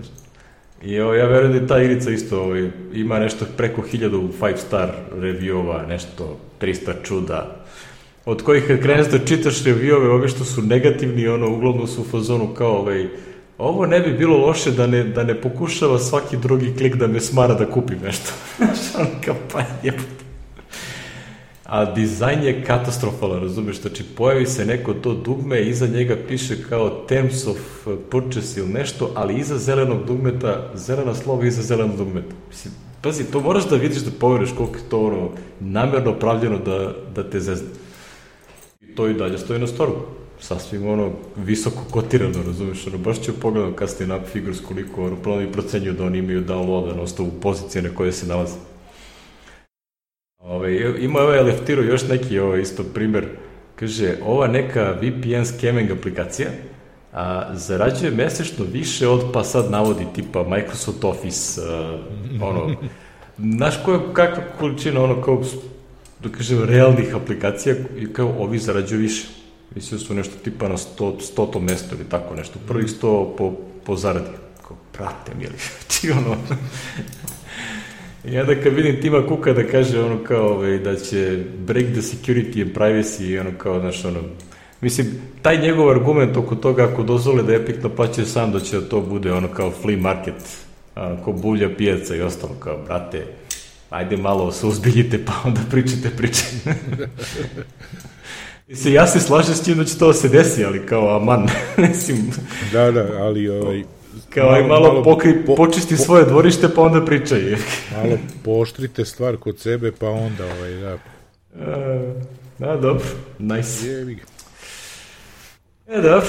I ja verujem da je ta igrica isto ima nešto preko 1000 5-star review-ova, nešto 300 čuda, od kojih kad kreneš da čitaš review-ove, ove što su negativni, uglavnom su u fazonu kao ovo ne bi bilo loše da ne pokušava svaki drugi klik da me smara da kupim nešto. A dizajn je katastrofalan, razumiješ, znači pojavi se neko to dugme, iza njega piše kao terms of purchase ili nešto, ali iza zelenog dugmeta, zelena slova iza zelenog dugmeta. Mislim, pazi, to moraš da vidiš da poveriš koliko je to namjerno pravljeno da te zezne. I to i dalje stoji na storu. Sasvim visoko kotirano, razumiješ, baš ću pogledam kasnije na Figures koliko planovi procenjuju da oni imaju downloada na osnovu pozicije na koje se nalaze. Ima Leftiro još neki isto primjer, kaže, ova neka VPN scamming aplikacija zarađuje mesečno više od, pa sad navodi tipa Microsoft Office, znaš kakva količina kao, da kažem, realnih aplikacija i kao ovi zarađuju više. Mislim su nešto tipa na 100 mjesto ili tako nešto, prvih 100 po zaradi. Kao, prate mi li, I onda kad vidim Tima Cooka da kaže kao da će break the security and privacy, kao, znaš, mislim, taj njegov argument oko toga ako dozvole da Epic naplaćuje sam, da će to bude kao flea market, ko bulja pijaca i ostalo, kao, brate, ajde malo se uzbiljite pa onda pričajte priče. Mislim, ja se slažem s tim da će to se desi, ali kao, aman, mislim... Da, ali kao malo počisti svoje dvorište, pa onda pričaj. Malo pooštrite stvar kod sebe, pa onda, da. Da, dobro, nice. Dobro,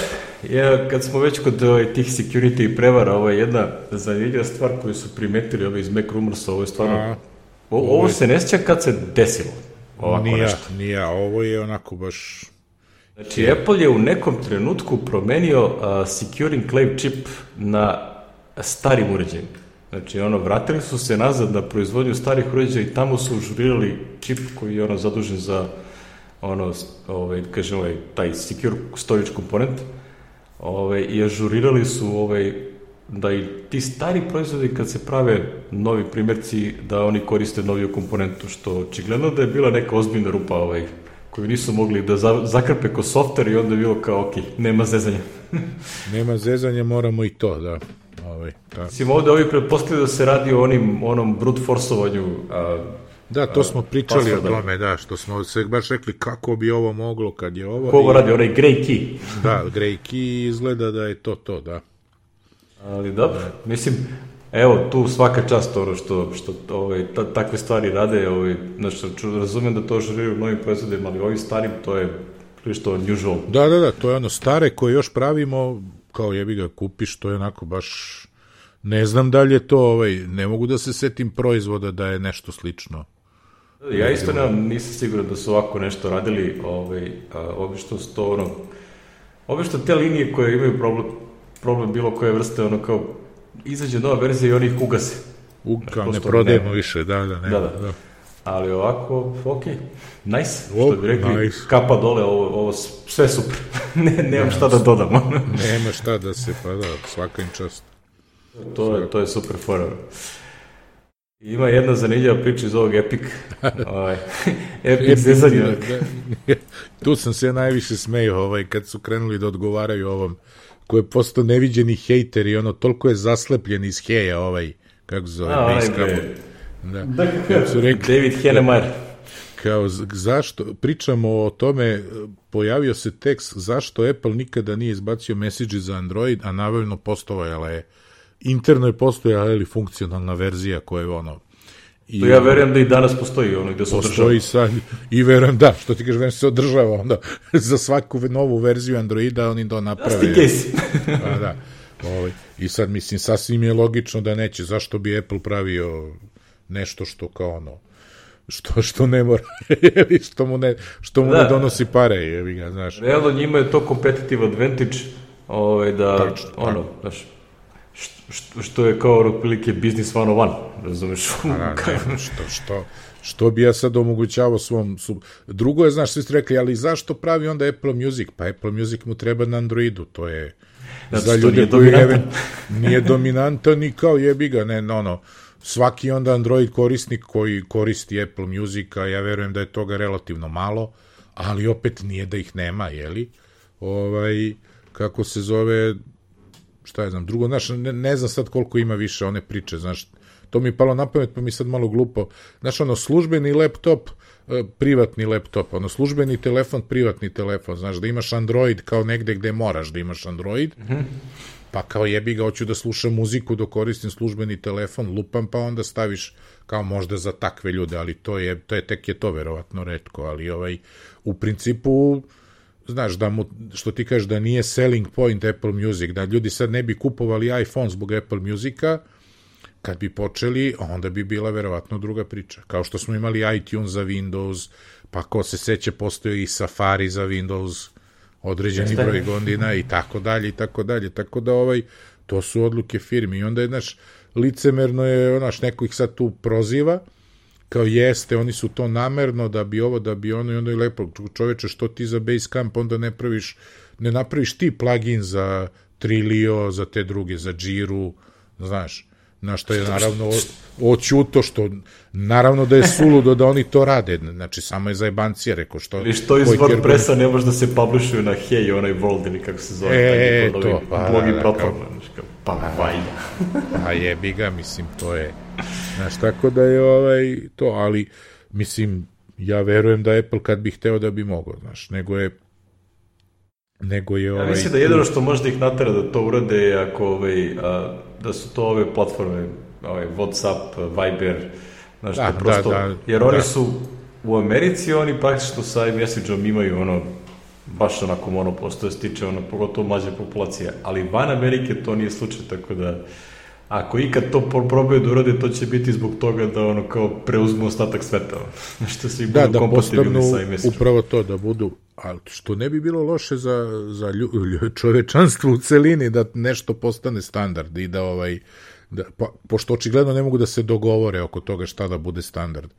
kad smo već kod tih security i prevara, ovo je jedna zanimljiva stvar koju su primetili iz Mac Rumorsa, ovo je stvarno... Ovo se ne sjeća kad se desilo. Nije, ovo je onako baš... Znači, Apple je u nekom trenutku promenio Secure Enclave čip na starim uređajima. Znači, vratili su se nazad na proizvodnju starih uređaja i tamo su užurirali čip koji je zadužen za kažem, taj Secure Storage komponent i ažurirali su da i ti stari proizvodi kad se prave novi primjerci da oni koriste noviju komponentu, što očigledno da je bila neka ozbiljna rupa koju nisu mogli da zakrpe ko software i onda je bilo kao, ok, nema zezanja. Nema zezanja, moramo i to, da. Mislim, ovdje ovi pretpostavljaju da se radi o onom brute forceovanju. Da, to smo pričali o tome, da, što smo se baš rekli kako bi ovo moglo kad je ovo... Ko ovo radi, onaj grey key. Da, grey key izgleda da je to, da. Ali dobro, mislim, evo, tu svaka čast što takve stvari rade, znači, razumijem da to želiju novim proizvodima, ali ovim starim to je prilično unusual. Da, to je stare koje još pravimo, kao jebi ga kupiš, to je onako baš, ne znam da li je to, ne mogu da se setim proizvoda da je nešto slično. Ja isto nisam siguran da su ovako nešto radili, obično te linije koje imaju problem bilo koje vrste, kao izađe nova verzija i oni ih ugase. Kao ne prodajemo više, da. Ali ovako, ok, nice, što bi rekli, nice. Kapa dole, ovo sve super, nemam šta da dodamo. Nema šta da se, pa da, svaka im čast. To je super fora. Ima jedna zanimljiva priča iz ovog Epic zezanja. Tu sam se najviše smejao kad su krenuli da odgovaraju ovom, koji je postao neviđeni hejter i toliko je zaslepljen iz heja kako se zove, David Hennemeyer. Kao, zašto, pričamo o tome, pojavio se tekst zašto Apple nikada nije izbacio message za Android, a naravno postojala je, interno je postojala ili funkcionalna verzija koja je To ja verujem da i danas postoji ono gde se održava. Postoji sad, i verujem da, što ti kažeš, verujem se održava onda za svaku novu verziju Androida oni to naprave. Pa da, i sad mislim, sasvim je logično da neće, zašto bi Apple pravio nešto što kao ono, što ne mora, što mu ne donosi pare, jebi ga, znaš. Realno njima je to competitive advantage, da, ono, znaš, što je kao otprilike business 101, razumeš? Što bi ja sad omogućavao svom... Drugo je, znaš, svi ste rekli, ali zašto pravi onda Apple Music? Pa Apple Music mu treba na Androidu, to je za ljude koji nije dominantan i kao jebi ga, ne, svaki onda Android korisnik koji koristi Apple Music, a ja verujem da je toga relativno malo, ali opet nije da ih nema, jeli? Kako se zove... šta je znam, drugo, znaš, ne znam sad koliko ima više one priče, znaš, to mi je palo na pamet, pa mi sad malo glupo, znaš, službeni laptop, privatni laptop, službeni telefon, privatni telefon, znaš, da imaš Android kao negde gde moraš da imaš Android, pa kao jebi ga, hoću da slušam muziku dok koristim službeni telefon, lupam, pa onda staviš kao možda za takve ljude, ali tek je to verovatno retko, ali u principu znaš, što ti kažeš da nije selling point Apple Music, da ljudi sad ne bi kupovali iPhone zbog Apple Musica, kad bi počeli, onda bi bila verovatno druga priča. Kao što smo imali iTunes za Windows, pa ko se seća, postoji i Safari za Windows, određeni broj godina i tako dalje, i tako dalje. Tako da to su odluke firmi. I onda je, znaš, licemerno je, neko ih sad tu proziva, kao jeste, oni su to namerno da bi ovo, da bi ono, i onda je lepo, čoveče, što ti za Basecamp onda ne napraviš ti plugin za Trilio, za te druge, za Jiru, znaš, na što je naravno oćuto, što naravno da je suludo da oni to rade, znači samo je zajebancija, rekao što... Ili što iz WordPressa ne može da se publishuju na Hey, onaj World ili kako se zove, to, blogi platforma, pa vajda. Pa jebi ga, mislim, to je... Znaš, tako da je to, ali, mislim, ja verujem da Apple kad bi hteo da bi mogao, znaš, nego je ja mislim da jedino što možda ih natera da to urade je ako, da su to ove platforme, WhatsApp, Viber, znaš, da, prosto, jer oni su u Americi, oni praktično sa iMessage-om imaju baš onako monopol, što se tiče pogotovo mlađe populacije, ali van Amerike to nije slučaj, tako da ako ikad to probaju da urade, to će biti zbog toga da kao preuzmu ostatak sveta. Što se budu kompatibilni sa iMessage-om. Upravo to, da budu, ali što ne bi bilo loše za čovečanstvo u celini, da nešto postane standard i pošto očigledno ne mogu da se dogovore oko toga šta da bude standard.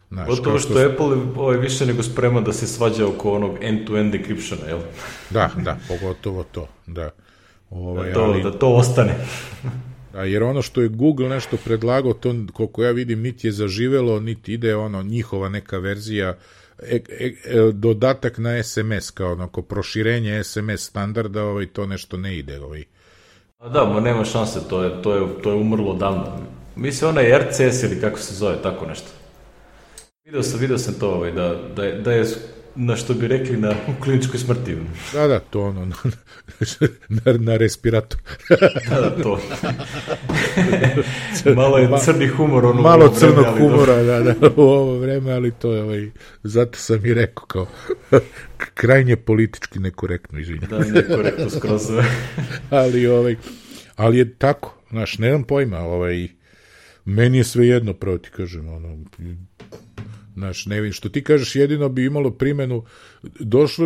Gotovo što Apple više nego spreman da se svađa oko onog end-to-end decryptiona, jel? Da, pogotovo to, da. Da to ostane. Jer ono što je Google nešto predlagao, to koliko ja vidim niti je zaživelo, niti ide njihova neka verzija, dodatak na SMS, kao onako proširenje SMS standarda, to nešto ne ide. Da, nema šanse, to je umrlo davno. Mislim, onaj RCS ili kako se zove, tako nešto. Vidio sam to, da je, na što bi rekli, u kliničkoj smrti. Da, to na respiratoru. Da, to. Malo je crni humor. Malo crnog humora, da, u ovo vreme, ali to je, zato sam i rekao, kao, krajnje politički nekorektno, izvinjam. Da, nekorektno skroz. Ali je tako, znaš, nemam pojma, meni je sve jedno, pravo ti kažem, znaš, ne vidim, što ti kažeš, jedino bi imalo primenu,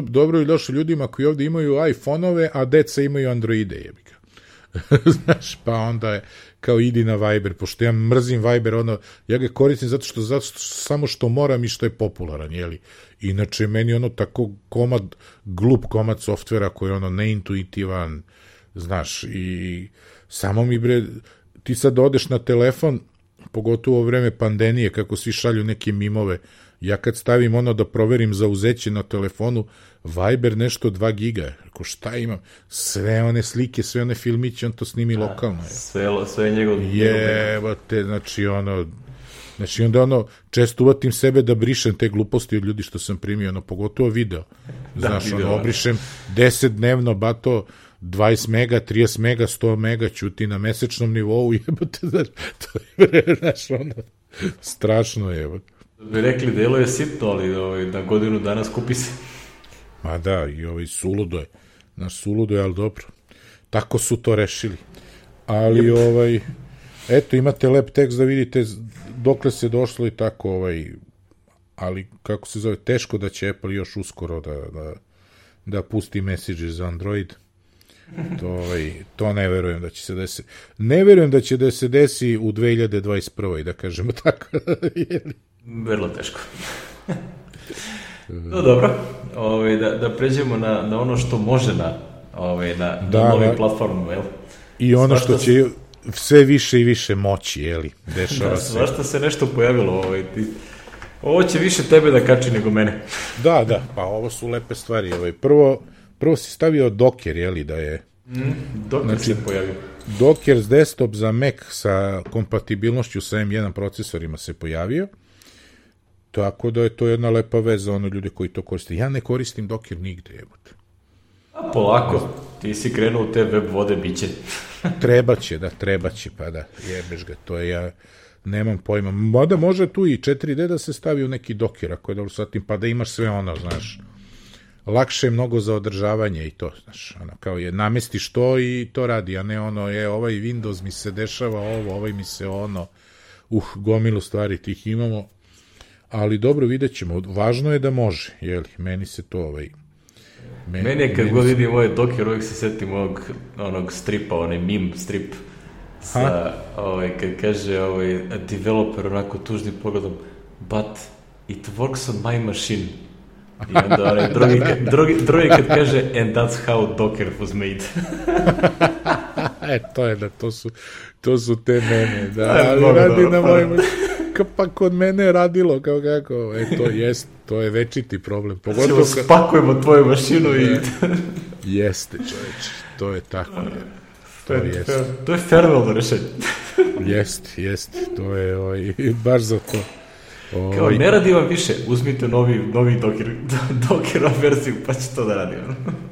dobro je došlo ljudima koji ovdje imaju iPhone-ove, a deca imaju Androide, jebika. Znaš, pa onda je, kao idi na Viber, pošto ja mrzim Viber, ja ga koristim zato što samo što moram i što je popularan, jeli. Inače, meni tako glup komad softvera koji je neintuitivan, znaš, i samo mi ti sad odeš na telefon, pogotovo u vreme pandemije, kako svi šalju neke mimove, ja kad stavim da proverim zauzeće na telefonu, Viber nešto 2 giga, ako šta imam, sve one slike, sve one filmiće, on to snimi lokalno. Sve je njegov... Jebate, znači onda često uvatim sebe da brišem te gluposti od ljudi što sam primio, pogotovo video. Znaš, obrišem 10 dnevno, bato, 20 mega, 30 mega, 100 mega ćuti na mesečnom nivou, jebate, znaš, to je, znaš, Strašno je, evo. Bi rekli, delo je sitno, ali na godinu dana skupi se. Ma da, i suludo je. Suludo je, ali dobro. Tako su to rešili. Ali, eto, imate lep tekst da vidite dokle se došlo i tako, ali, kako se zove, teško da će Apple još uskoro da pusti message za Android. To ne verujem da će se desiti. Ne verujem da će da se desi u 2021. da kažemo tako. Vrlo teško. No dobro, da pređemo na ono što može na novim platformama, jel? I ono što će sve više i više moći, jeli? Dešava se. Svašta se nešto pojavilo, ovo će više tebe da kači nego mene. Da, pa ovo su lepe stvari. Prvo si stavio Docker, jeli, da je... Docker se pojavio. Docker desktop za Mac sa kompatibilnošću sa M1 procesorima se pojavio, tako da je to jedna lepa veza za ono ljude koji to koriste. Ja ne koristim Docker nigde, evo te. Polako, ti si krenuo u te web vode, bit će. Trebaće, pa da, jebeš ga, to je ja... Nemam pojma. Mada može tu i 4D da se stavi u neki Docker, ako je dobro satim, pa da imaš sve ono, znaš. Lakše je mnogo za održavanje i to, znaš, kao je, namestiš to i to radi, a ne ono, ovaj Windows mi se dešava ovo, ovaj mi se ono, gomilu stvari tih imamo, ali dobro, vidjet ćemo, važno je da može, jeli, meni se to, Meni je kad god vidim ovaj Docker, uvijek se setim onog stripa, onaj meme strip, kad kaže a developer onako tužnim pogledom, but it works on my machine. I onda onaj drugi kad kaže and that's how Docker was made. To je da, to su te mene, da, ali radi na mojim, pa kod mene je radilo, kao kako, to je večiti problem. Pogotovo spakujemo tvoju mašinu i... Jeste, čoveče, to je tako, To je farewell rešenje. Jeste, to je baš za to. Kao, ne radi vam više, uzmite novi Docker verziju, pa će to da radi.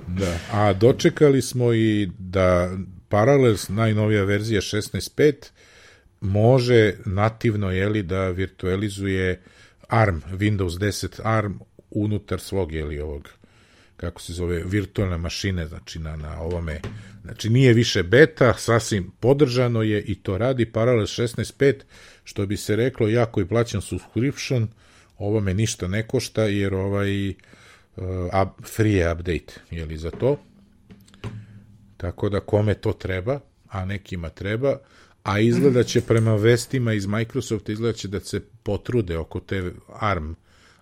Da, a dočekali smo i da Parallels, najnovija verzija 16.5, može nativno, da virtualizuje ARM, Windows 10 ARM unutar svog, ovog, kako se zove, virtualne mašine, znači na ovome, znači nije više beta, sasvim podržano je i to radi Parallels 16.5, što bi se reklo, ja koji plaćam subscription, ovo me ništa ne košta, jer free je update, za to. Tako da kome to treba, a nekima treba, a izgleda će prema vestima iz Microsofta, izgleda će da se potrude oko te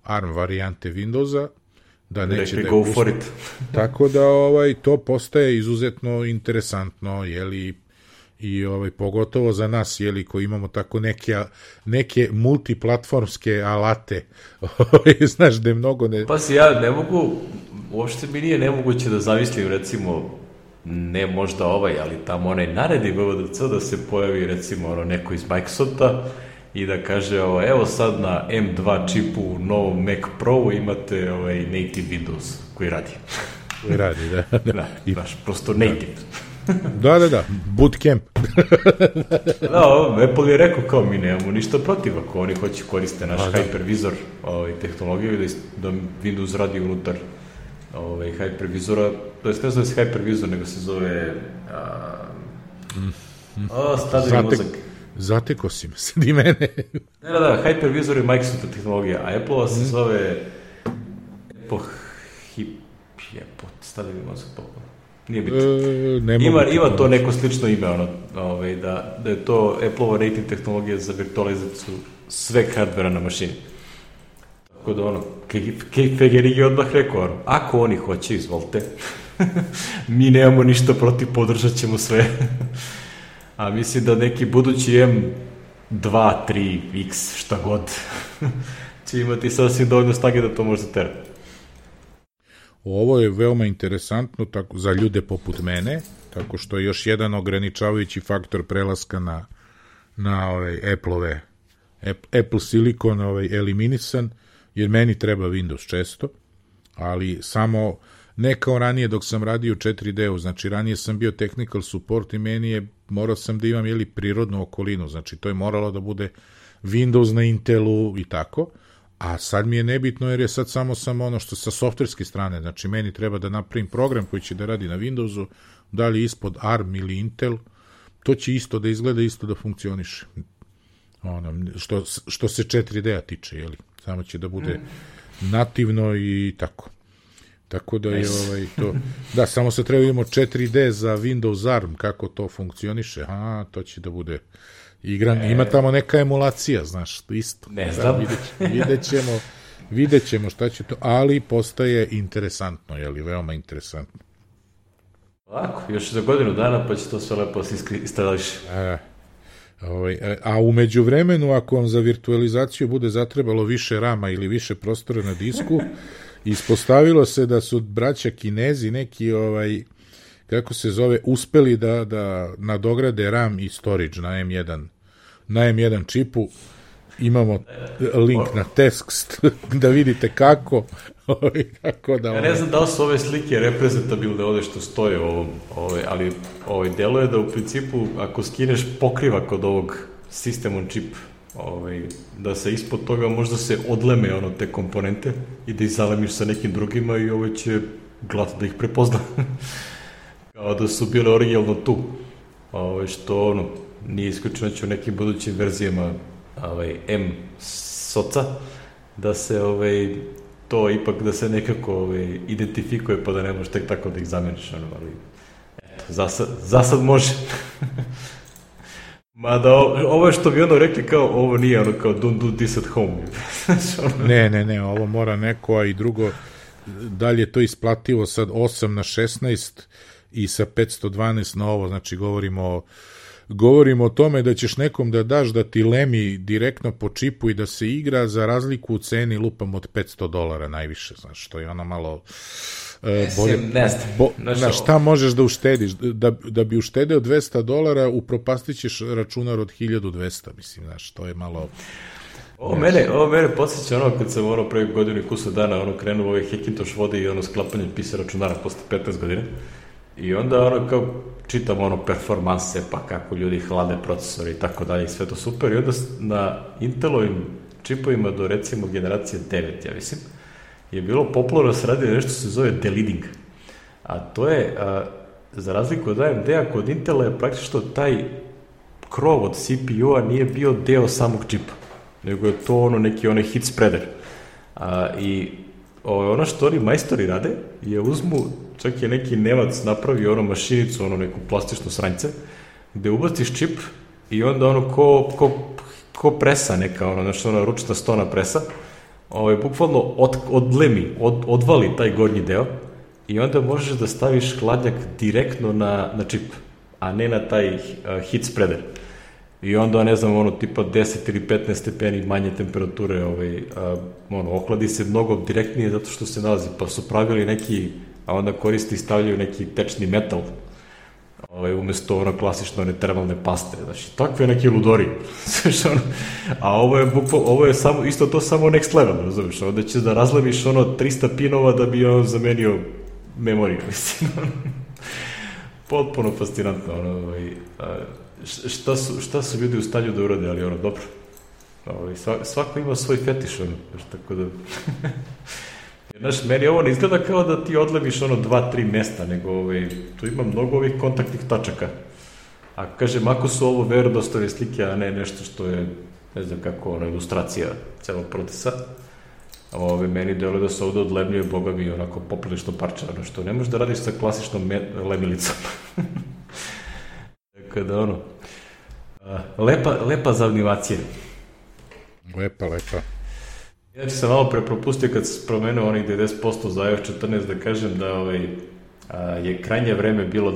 ARM varijante Windowsa, da neće da je pusti. Tako da to postaje izuzetno interesantno, i pogotovo za nas, koji imamo tako neke multiplatformske alate, znaš, da je mnogo Pa si ja ne mogu, uopšte mi nije nemoguće da zamislim, recimo, ne možda ali tamo onaj naredi VVDC da se pojavi, recimo, neko iz Microsofta i da kaže, evo sad na M2 čipu u novom Mac Pro imate native Windows koji radi. Koji radi, da. Da, prosto native. Da, bootcamp. Da, Apple je rekao kao mi nemamo ništa protiv ako oni hoće koriste naš hypervisor tehnologiju i da Windows radi unutar hypervisora, to jest ne zove se hypervisor, nego se zove stade mi mozak. Zateko si me, sad i mene. Da, hypervisor je Microsoft tehnologija, a Apple se zove stade mi mozak popolo. Nije bitno. Ima to neko slično ime, da je to Apple-ova native tehnologija za virtualizaciju sve hardvera na mašini. Tako da Fegerig je odmah rekao, ako oni hoće, izvolite, mi nemamo ništa protiv, podržat ćemo sve. A mislim da neki budući M2, 3, X, šta god, će imati sasvim dovoljno snage da to može tera. Ovo je veoma interesantno tako, za ljude poput mene, tako što je još jedan ograničavajući faktor prelaska na Apple Silicon eliminisan, jer meni treba Windows često, ali samo ne kao ranije dok sam radio u 4D-u, znači ranije sam bio technical support i morao sam da imam prirodnu okolinu, znači to je moralo da bude Windows na Intelu i tako, a sad mi je nebitno jer je sad samo ono što sa softverske strane, znači meni treba da napravim program koji će da radi na Windowsu, da li ispod ARM ili Intel, to će isto da izgleda, isto da funkcioniše. Što se 4D-a tiče, jeli? Samo će da bude nativno i tako. Tako da je to... Da, samo se treba imamo 4D za Windows ARM, kako to funkcioniše. To će da bude igran. Ima tamo neka emulacija, znaš, isto. Ne znam. Vidjet ćemo šta će to, ali postaje interesantno, jeli, veoma interesantno. Ovako, još za godinu dana pa će to sve lepo se istrališ. A umeđu vremenu, ako vam za virtualizaciju bude zatrebalo više rama ili više prostora na disku, ispostavilo se da su braća Kinezi neki, kako se zove, uspeli da nadograde RAM i storage na M1 čipu. Imamo link na tekst da vidite kako da... Ja ne znam da li su ove slike reprezentabilne ovde što stoje ali delo je da u principu ako skineš pokriva kod ovog System on chip, da se ispod toga možda se odleme te komponente i da ih zalemiš sa nekim drugima i ovo će glat da ih prepozna. Kao da su bile originalno tu. Što nije isključeno će u nekim budućim verzijama M-soca da se to ipak da se nekako identifikuje pa da ne možeš tek tako da ih zameniš, ali eto, za sad može. Mada ovo je što bi rekli kao ovo nije kao don't do this at home. Ne, ovo mora neko, a i drugo, dalje je to isplativo sad 8 na 16 i sa 512 na ovo, znači govorimo o tome da ćeš nekom da daš da ti lemi direktno po čipu i da se igra za razliku u ceni lupam od $500 najviše, znaš, što je ono malo bolje. Znaš, šta možeš da uštediš? Da bi uštedeo $200, upropastit ćeš računar od 1200, mislim, znaš, to je malo... Ovo mene podsjeća kad sam pre godinu i kusa dana krenuo Hackintosh vodi i sklapanje pisa računara posle 15 godina. I onda kao čitam performanse, pa kako ljudi hlade procesore i tako dalje i sve to super. I onda na Intelovim čipovima do recimo generacije 9, ja mislim, je bilo popularno se radi nešto se zove deleading. A to je, za razliku od AMD-a, kod Intela je praktično taj krov od CPU-a nije bio deo samog čipa, nego je to neki hit spreader. I ono što oni majstori rade je uzmu, čak je neki Nemac napravio mašinicu, neku plastičnu sranjce, gde ubaciš čip i onda ko presa neka, ručna stona presa, bukvalno odlemi, odvali taj gornji deo i onda možeš da staviš hladnjak direktno na čip, a ne na taj heat spreader. I onda, ne znam, tipa 10 ili 15 stepeni manje temperature, ohladi se mnogo direktnije zato što se nalazi, pa su pravili neki, a onda koristi i stavljaju neki tečni metal, umesto klasično termalne paste, znači, takve neke ludori, a ovo je samo, isto to samo next level, razumiješ, onda ćeš da razleviš 300 pinova da bi zamenio memoriju, mislim, potpuno fascinantno, šta su ljudi u stanju da urade, ali dobro. Svako ima svoj fetiš, tako da... Znaš, meni ovo ne izgleda kao da ti odleviš 2-3 mesta, nego tu ima mnogo ovih kontaktnih tačaka. A kažem, ako su ovo verodostojne slike, a ne nešto što je, ne znam kako, ilustracija celog procesa, meni deluje da se ovde odlemljuje, boga mi, poprilično parča, što ne možeš da radiš sa klasičnom lemilicom. Kada lepa za animacije. Lepa. Ja ću se malo prepropustio kad sam promenuo onih 90% za iOS 14 da kažem da je krajnje vreme bilo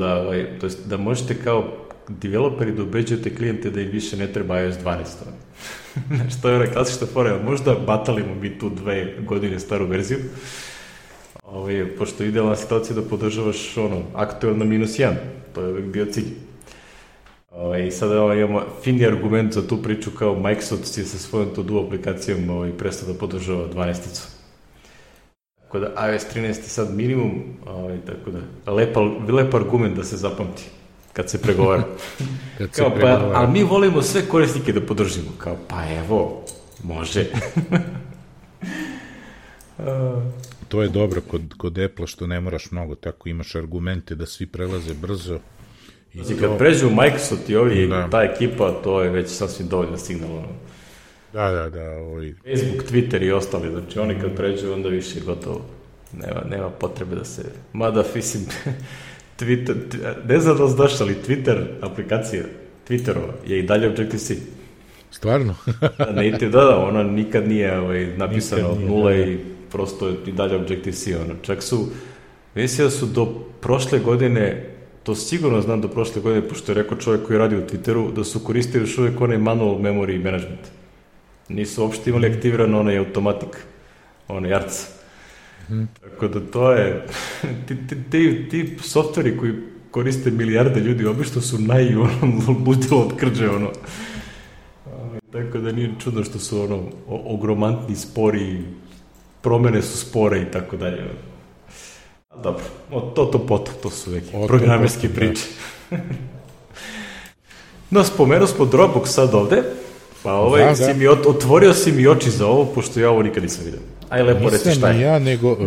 da možete kao developeri da ubeđujete klijente da im više ne treba iOS 12. Što je klasična fora, možda batalimo mi tu 2 godine staru verziju, pošto je idealna situacija da podržavaš aktuelno -1, to je uvijek bio cilj. I sada imamo fini argument za tu priču kao Microsoft je sa svojom to-do aplikacijom prestao da podržava 12-icu. Tako da iOS 13 je sad minimum, tako da lep argument da se zapamti. kad se pregovara. Kao, pa, ali mi volimo sve korisnike da podržimo. Kao, pa evo, može. To je dobro kod Apple što ne moraš mnogo, tako imaš argumente da svi prelaze brzo. Znači, kad pređu Microsoft i ovi, ta ekipa, to je već sasvim dovoljno signal. Da. Facebook, Twitter i ostali, znači oni kad pređu, onda više gotovo. Nema potrebe da se... Mada, mislim, Twitter, ne znam da znaš, ali Twitter, aplikacija Twitterova, je i dalje Objective-C. Stvarno? Da, ona nikad nije napisana od nula i prosto je i dalje Objective-C. Čak su, mislim da su do prošle godine, to sigurno znam do prošle godine, pošto je rekao čovjek koji radi u Twitteru, da su koristili još uvijek onaj manual memory management. Nisu uopšte imali aktiviran onaj automatik, onaj ARC. Tako da to je, ti softveri koji koriste milijarde ljudi, obično su najludilo od krđe, tako da nije čudno što su ogromantni, spori, promene su spore i tako dalje. Dobro, to su neki programerski priče. No, spomenuo smo Dropbox sad ovde, pa otvorio si mi oči za ovo, pošto ja ovo nikad nisam vidio. Aj, lepo reci šta je. Nisam ja, nego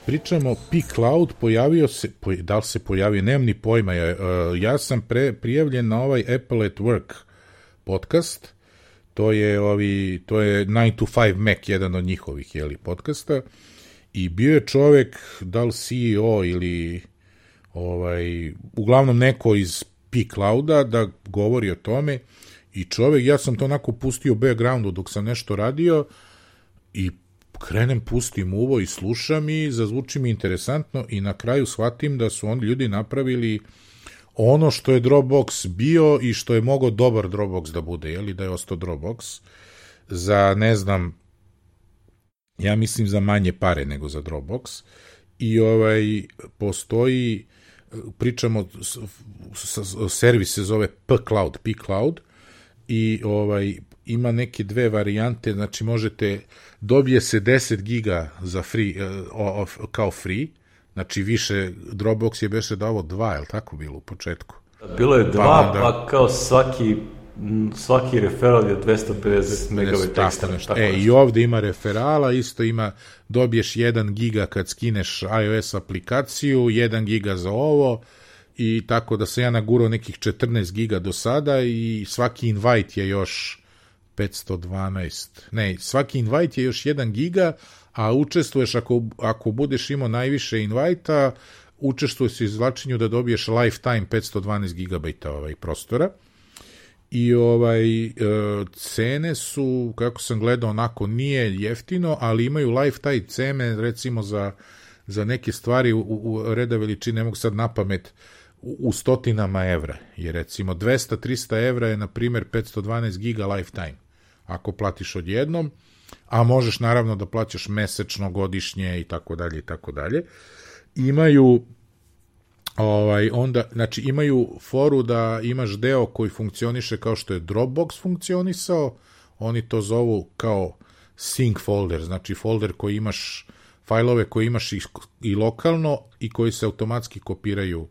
pričamo P-Cloud, pojavio se, da li se pojavio, nemam ni pojma, ja sam prijavljen na ovaj Apple at Work podcast, to je 9 to 5 Mac, jedan od njihovih podcasta, i bio je čovek, da li CEO ili uglavnom neko iz P-Clouda da govori o tome, i čovek, ja sam to onako pustio u backgroundu dok sam nešto radio i pustim uvo i slušam i zazvuči mi interesantno i na kraju shvatim da su oni ljudi napravili ono što je Dropbox bio i što je mogao dobar Dropbox da bude, da je ostao Dropbox za, ne znam, ja mislim za manje pare nego za Dropbox, i postoji, pričamo, servis se zove P-Cloud, i ima neke dve varijante, znači dobije se 10 giga za free, kao free, znači više, Dropbox je beše davo 2, je li tako bilo u početku? Bilo je 2, pa kao svaki referal je 250 megabajta ekstra. I ovde ima referala, isto dobiješ 1 giga kad skineš iOS aplikaciju, 1 giga za ovo, i tako da sam ja nagurao nekih 14 giga do sada, i svaki invite je još 512. Svaki invite je još 1 giga, a učestvuješ, ako budeš imao najviše invajta, učestvuješ u izvlačenju da dobiješ lifetime 512 gigabajta prostora. I cene su, kako sam gledao, onako nije jeftino, ali imaju lifetime cene, recimo za neke stvari u reda veličine, ne mogu sad napamet, u stotinama evra. Jer recimo 200-300 evra je, na primjer, 512 giga lifetime, ako platiš odjednom, a možeš naravno da plaćaš mesečno, godišnje i tako dalje i tako dalje. Imaju znači imaju foru da imaš deo koji funkcioniše kao što je Dropbox funkcionisao, oni to zovu kao sync folder, znači folder koji imaš, fajlove koje imaš i lokalno i koji se automatski kopiraju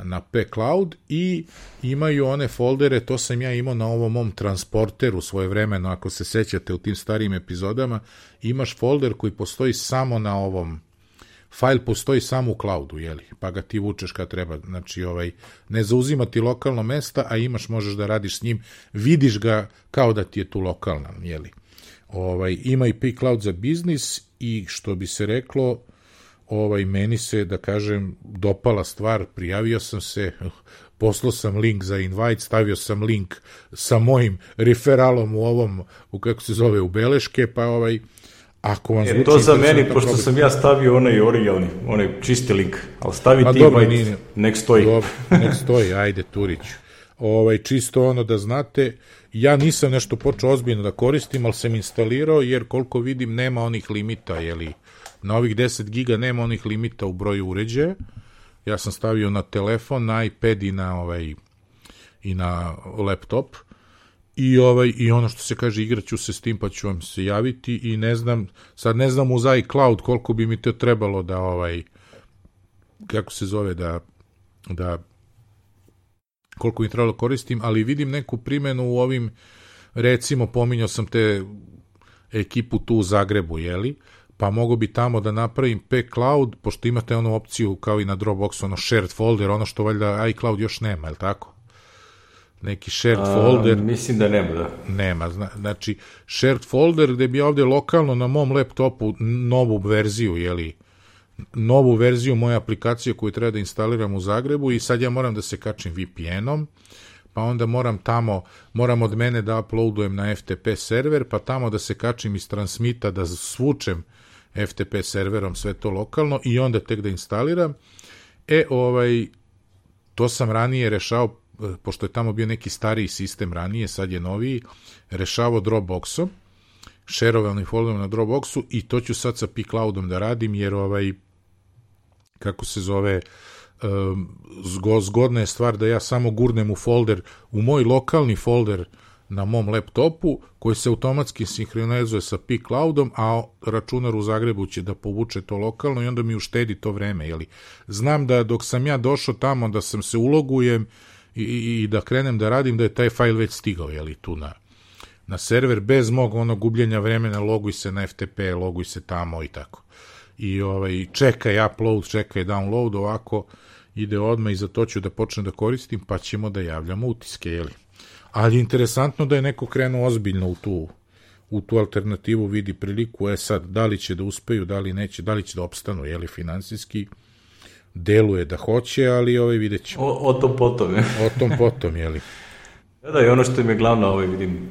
na P-Cloud, i imaju one foldere, to sam ja imao na ovom mom transporteru svojevremeno, ako se sećate u tim starijim epizodama, imaš folder koji postoji samo na ovom, fajl postoji samo u cloudu, pa ga ti vučeš kad treba, znači ne zauzima ti lokalno mesta, a možeš da radiš s njim, vidiš ga kao da ti je tu lokalna, ima i P-Cloud za biznis, i što bi se reklo, meni se, da kažem, dopala stvar, prijavio sam se, poslao sam link za invite, stavio sam link sa mojim referalom u kako se zove, u beleške, pa ako vam zvuči... To za meni, pošto sam ja stavio onaj originalni, onaj čisti link, ali stavi ti invite, nek stoji. Dobro, nek stoji, ajde, Turiću. Čisto da znate, ja nisam nešto počeo ozbiljno da koristim, ali sam instalirao, jer koliko vidim nema onih limita, na ovih 10 giga nema onih limita u broju uređaja. Ja sam stavio na telefon, na iPad i na laptop, i ono što se kaže, igraću se s tim, pa ću vam se javiti, i ne znam uz iCloud koliko bi mi to trebalo da kako se zove, da koliko mi trebalo koristim, ali vidim neku primjenu u ovim, recimo, pominjao sam te ekipu tu u Zagrebu, jeli, pa mogu bi tamo da napravim P-Cloud, pošto imate onu opciju kao i na Dropboxu, ono shared folder, ono što valjda iCloud još nema, je li tako? Neki shared folder. Mislim da nema, da. Nema, znači shared folder gde bi ovde lokalno na mom laptopu novu verziju, jeli, novu verziju moje aplikacije koju treba da instaliram u Zagrebu i sad ja moram da se kačim VPN-om, pa onda moram od mene da uploadujem na FTP server, pa tamo da se kačim iz transmita, da svučem FTP serverom sve to lokalno i onda tek da instaliram. To sam ranije rešao, pošto je tamo bio neki stariji sistem ranije, sad je noviji, rešavao Dropboxom, šerovalnim folderom na Dropboxu i to ću sad sa P-Cloudom da radim, jer kako se zove, zgodna je stvar da ja samo gurnem u folder, u moj lokalni folder na mom laptopu, koji se automatski sinhronizuje sa P-Cloudom, a računar u Zagrebu će da povuče to lokalno i onda mi uštedi to vreme, jeli. Znam da dok sam ja došao tamo, da sam se ulogujem i da krenem da radim, da je taj fajl već stigao, jeli, tu na server, bez mog gubljenja vremena, loguj se na FTP, loguj se tamo i tako. I čekaj upload, čekaj download, ovako ide odmah i za to ću da počnem da koristim, pa ćemo da javljamo utiske, jeli. Ali je interesantno da je neko krenuo ozbiljno u tu alternativu, vidi priliku, sad, da li će da uspeju, da li neće, da li će da opstanu, jeli, finansijski, deluje da hoće, ali vidjet ćemo. O tom potom, je. O tom potom, jeli. Da, i ono što im je glavna, vidim,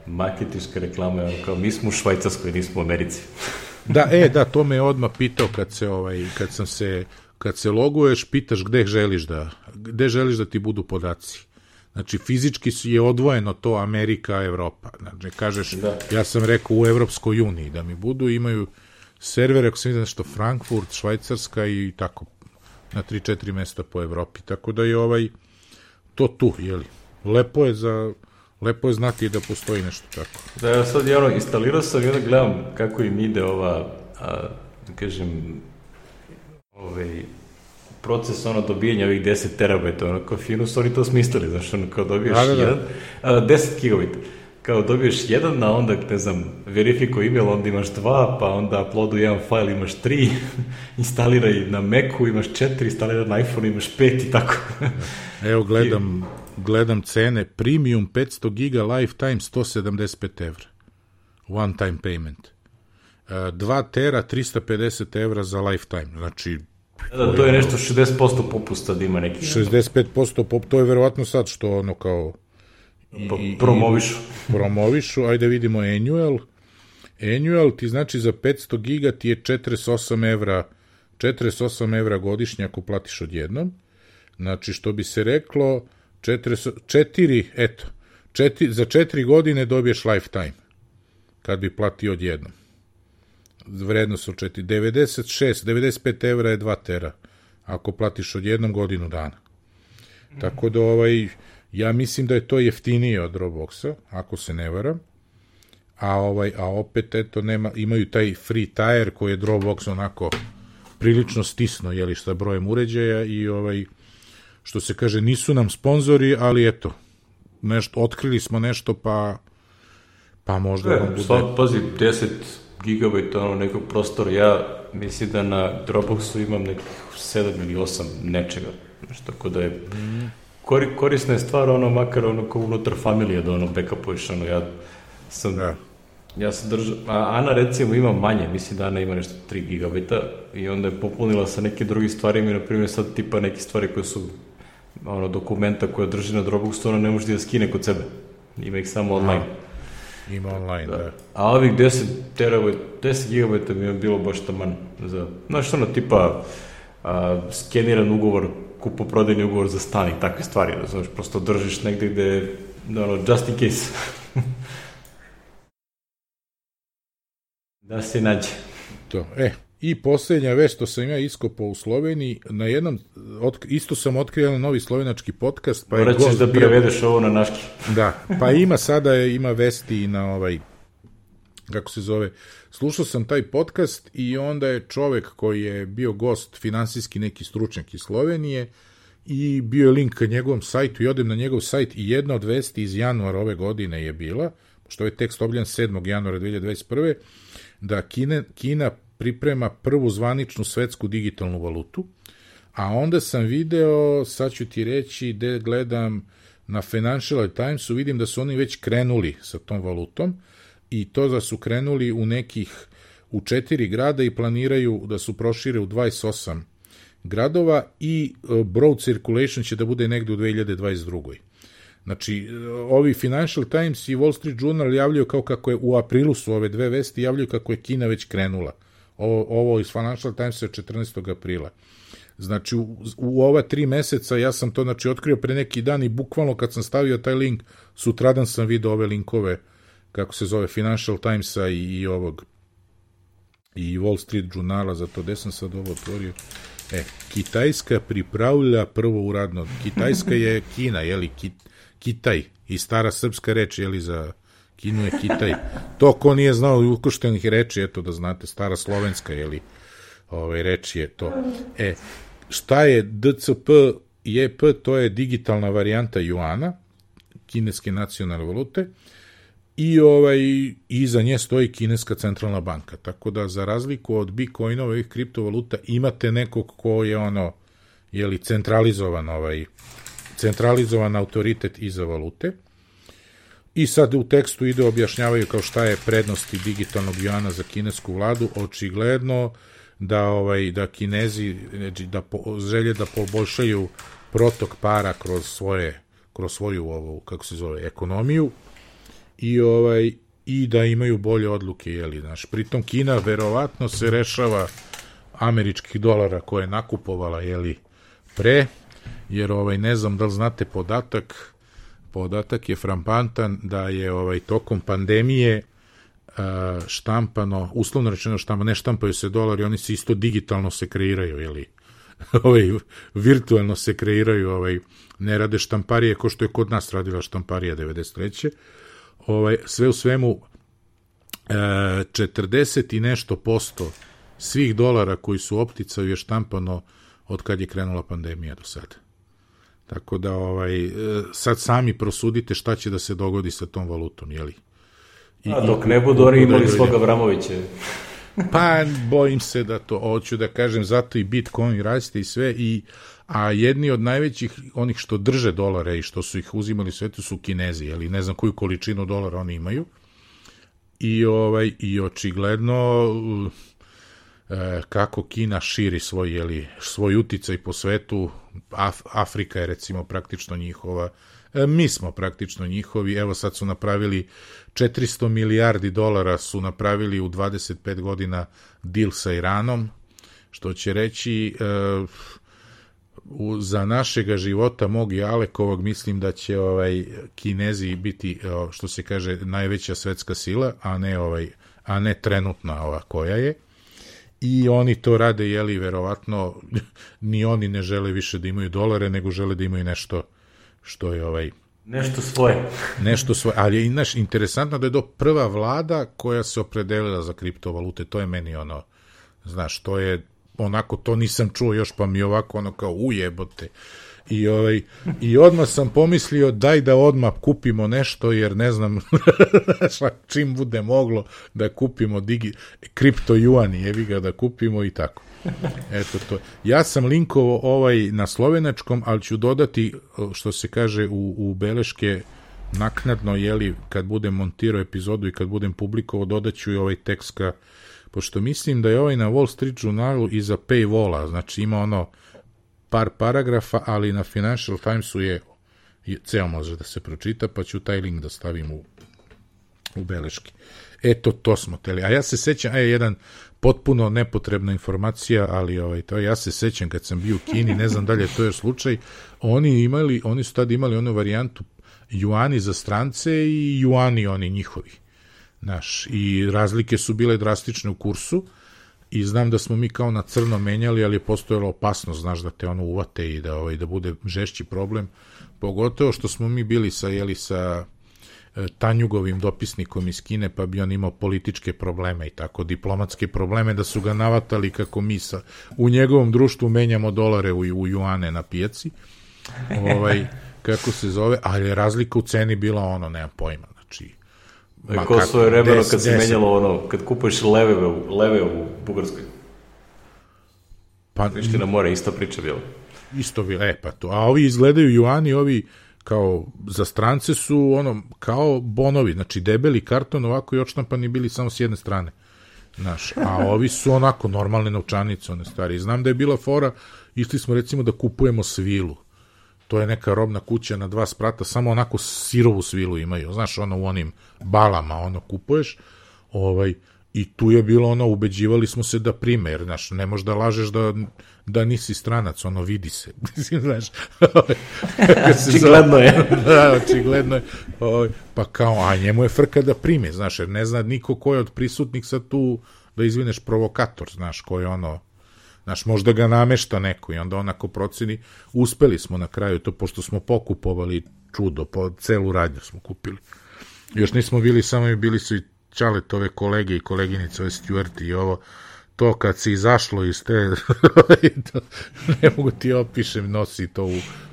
marketinška reklama, kao mi smo u Švajcarskoj, nismo u Americi. Da, to me je odmah pitao kad se loguješ, pitaš gde želiš da ti budu podaci. Znači, fizički je odvojeno to Amerika, Evropa. Znači, kažeš, ja sam rekao u Evropskoj uniji da mi budu, imaju servere, ako sam vidio nešto, Frankfurt, Švajcarska i tako, na 3-4 mesta po Evropi. Tako da je to tu, jeli. Lepo je znati da postoji nešto tako. Da, ja sad instalirao sam i onda gledam kako im ide proces dobijanja ovih 10 terabajta, kao fino su oni to smislili, znaš, kao dobiješ 10 gigabajta, kao dobiješ jedan, a onda, ne znam, verifikuj email, onda imaš 2, pa onda uploadu jedan file, imaš 3, instaliraj na Macu, imaš 4, instaliraj na iPhone, imaš 5 i tako. Evo, gledam cene, premium 500 giga, lifetime 175 evra, one time payment, 2 tera 350 evra za lifetime, znači da, to je nešto 60% popusta da ima neki. 65% to je verovatno sad što kao promovišu, ajde vidimo annual ti znači za 500 giga ti je 48 evra godišnje ako platiš odjednom, znači što bi se reklo za 4 godine dobiješ lifetime kad bi platio odjednom. Vrednost su 95 evra je 2 tera, ako platiš od jednom godinu dana. Tako da ja mislim da je to jeftinije od Dropboxa, ako se ne varam, a opet imaju taj free tier koji je Dropbox onako prilično stisno, jeli, sa brojem uređaja i što se kaže, nisu nam sponzori, ali eto, otkrili smo nešto, pa možda vam bude... Pazi, 10 gigabajta nekog prostora, ja mislim da na Dropboxu imam nekih 7 ili 8 nečega, tako da je korisna je stvar, makar kao unutar familije da backupuješ, ja sam držao, Ana recimo ima manje, mislim da Ana ima nešto 3 gigabajta i onda je popunila sa nekim drugim stvarima i na primjer sad tipa neke stvari koje su dokumenta koje drži na Dropboxu, ona ne može da skine kod sebe, ima ih samo online. Ima online, da. A ovih 10 gigabajta mi je bilo baš taman za, znaš, tipa skeniran ugovor, kupoprodajni ugovor za stan i takve stvari, znaš, prosto držiš negde gde, just in case. Da se nađe. To, i posljednja vest što sam ja iskopao u Sloveniji, isto sam otkrio jedan novi slovenački podcast. Morat ćeš da prevedeš ovo na naški. Da, pa ima vesti i na kako se zove, slušao sam taj podcast i onda je čovek koji je bio gost, finansijski neki stručnjak iz Slovenije, i bio je link ka njegovom sajtu i odem na njegov sajt i jedna od vesti iz januara ove godine je bila, što je tekst objavljen 7. januara 2021. da Kina priprema prvu zvaničnu svetsku digitalnu valutu, a onda sam video, sad ću ti reći, gde gledam na Financial Timesu, vidim da su oni već krenuli sa tom valutom i to da su krenuli u 4 grada i planiraju da su prošire u 28 gradova i broad circulation će da bude negde u 2022. Znači, ovi Financial Times i Wall Street Journal javljaju kao kako je, u aprilu su ove dve vesti, javljaju kako je Kina već krenula. Ovo iz Financial Times je 14. aprila. Znači, u ova 3 meseca ja sam to otkrio pre neki dan i bukvalno kad sam stavio taj link, sutradan sam video ove linkove, kako se zove, Financial Timesa i Wall Street Journala, zato gde sam sad ovo otvorio. Kitajska pripravlja prvo uradno. Kitajska je Kina, jeli, Kitaj. I stara srpska reč, jeli, za Kinu je Kitaj. To ko nije znao ukrštenih reči, eto da znate, stara slovenska, jeli, reč je to. Šta je DCP JP? To je digitalna varijanta juana, kineske nacionalne valute, i iza nje stoji kineska centralna banka. Tako da, za razliku od Bitcoinova i kriptovaluta, imate nekog ko je jeli, centralizovan autoritet iza valute. I sad u tekstu objašnjavaju kao šta je prednosti digitalnog juana za kinesku vladu. Očigledno da Kinezi želje da poboljšaju protok para kroz svoju kako se zove, ekonomiju i da imaju bolje odluke, jeli, pritom Kina verovatno se rešava američkih dolara koje je nakupovala, jeli, jer ne znam da li znate podatak je frampantan da je tokom pandemije štampano, uslovno rečeno ne štampaju se dolari, oni se isto digitalno se kreiraju, jeli, virtualno se kreiraju, ne rade štamparije ko što je kod nas radila štamparija 93. Sve u svemu 40 i nešto posto svih dolara koji su u opticaju je štampano od kad je krenula pandemija do sada. Tako da sad sami prosudite šta će da se dogodi sa tom valutom, jeli? Dok ne budu oni imali svog Avramovića. Pa, bojim se da to, hoću da kažem, zato i Bitcoin raste i sve, a jedni od najvećih, onih što drže dolare i što su ih uzimali u svetu su Kinezi, jeli, ne znam koju količinu dolara oni imaju, i očigledno kako Kina širi svoj uticaj po svetu. Afrika je recimo praktično njihova, mi smo praktično njihovi, evo sad su napravili 400 milijardi dolara su napravili u 25 godina deal sa Iranom, što će reći za našega života mog i Alekovog mislim da će Kinezi biti, što se kaže, najveća svetska sila, a ne trenutna ova koja je. I oni to rade, jeli, verovatno ni oni ne žele više da imaju dolare, nego žele da imaju nešto što je nešto svoje. Nešto svoje, ali je interesantno da je to prva vlada koja se opredelila za kriptovalute, to je meni znaš, to je onako, to nisam čuo još, pa mi ovako kao ujebote. I odmah sam pomislio daj da odmah kupimo nešto, jer ne znam čim bude moglo da kupimo kripto juani, jevi ga da kupimo i tako. Eto to. Ja sam linkovao na slovenačkom, ali ću dodati, što se kaže, u beleške naknadno, jeli, kad budem montirao epizodu i kad budem publikovao, dodaću i tekst pošto mislim da je na Wall Street Journalu iza paywalla, znači ima par paragrafa, ali na Financial Timesu je ceo može da se pročita, pa ću taj link da stavim u beleški. Eto, to smo teli. A ja se sećam, jedan potpuno nepotrebna informacija, ali to ja se sećam kad sam bio u Kini, ne znam da li je to još slučaj, oni su tad imali onu varijantu juani za strance i juani oni njihovi. I razlike su bile drastične u kursu i znam da smo mi kao na crno menjali, ali je postojala opasnost, znaš, da te uvate i da bude žešći problem, pogotovo što smo mi bili sa Tanjugovim dopisnikom iz Kine, pa bi on imao političke probleme i tako, diplomatske probleme, da su ga navatali kako mi u njegovom društvu menjamo dolare u juane na pijaci, kako se zove, ali je razlika u ceni bila ono, nemam pojma, znači... Ko svoje vremeno kad se menjalo ono, kad kupuješ leve u Bugarskoj. Pa, Priština more, isto priča bila. Isto bilo, pa to. A ovi izgledaju juani, ovi kao za strance su ono, kao bonovi, znači debeli karton ovako i odštampani bili samo s jedne strane. Znaš, a ovi su onako normalne novčanice, one stari. Znam da je bila fora, išli smo recimo da kupujemo svilu. To je neka robna kuća na 2 sprata, samo onako sirovu svilu imaju. Znaš, ono u onim balama, ono kupuješ, i tu je bilo ono, ubeđivali smo se da prime, jer, znaš, ne možeš da lažeš da nisi stranac, ono, vidi se. Znaš, očigledno je. Da, očigledno je. Pa kao, a njemu je frka da prime, znaš, jer ne zna niko ko je od prisutnih sad tu, da izvineš, provokator, znaš, ko je ono, znaš, možda ga namešta neko i onda onako proceni, uspeli smo na kraju to, pošto smo pokupovali čudo, celu radnju smo kupili. Još nismo bili samo, bili su i Čaletove kolege i koleginice, ove Stuarti i ovo, to kad se izašlo iz te, ne mogu ti opišem, nosi to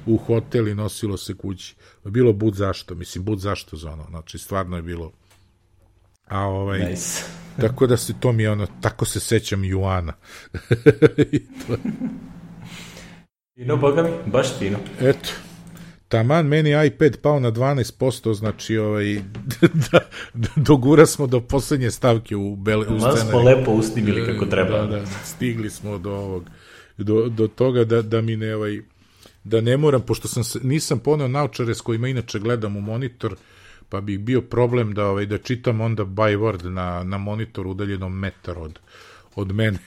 u hotel i nosilo se kući. Bilo bud zašto, mislim, bud zašto za ono, znači, stvarno je bilo, nice. Tako da se to mi je ono, tako se sećam juana. Fino, boga mi, baš fino. Eto. Taman meni iPad pao na 12%, znači dogura smo do poslednje stavke u scenariju. Malo smo lepo usnimili kako treba. Da, stigli smo do ovog, do toga da mi ne, da ne moram, pošto nisam poneo naočare s kojima inače gledam u monitor, pa bi bio problem da čitam onda by word na monitoru udaljenom metar od mene.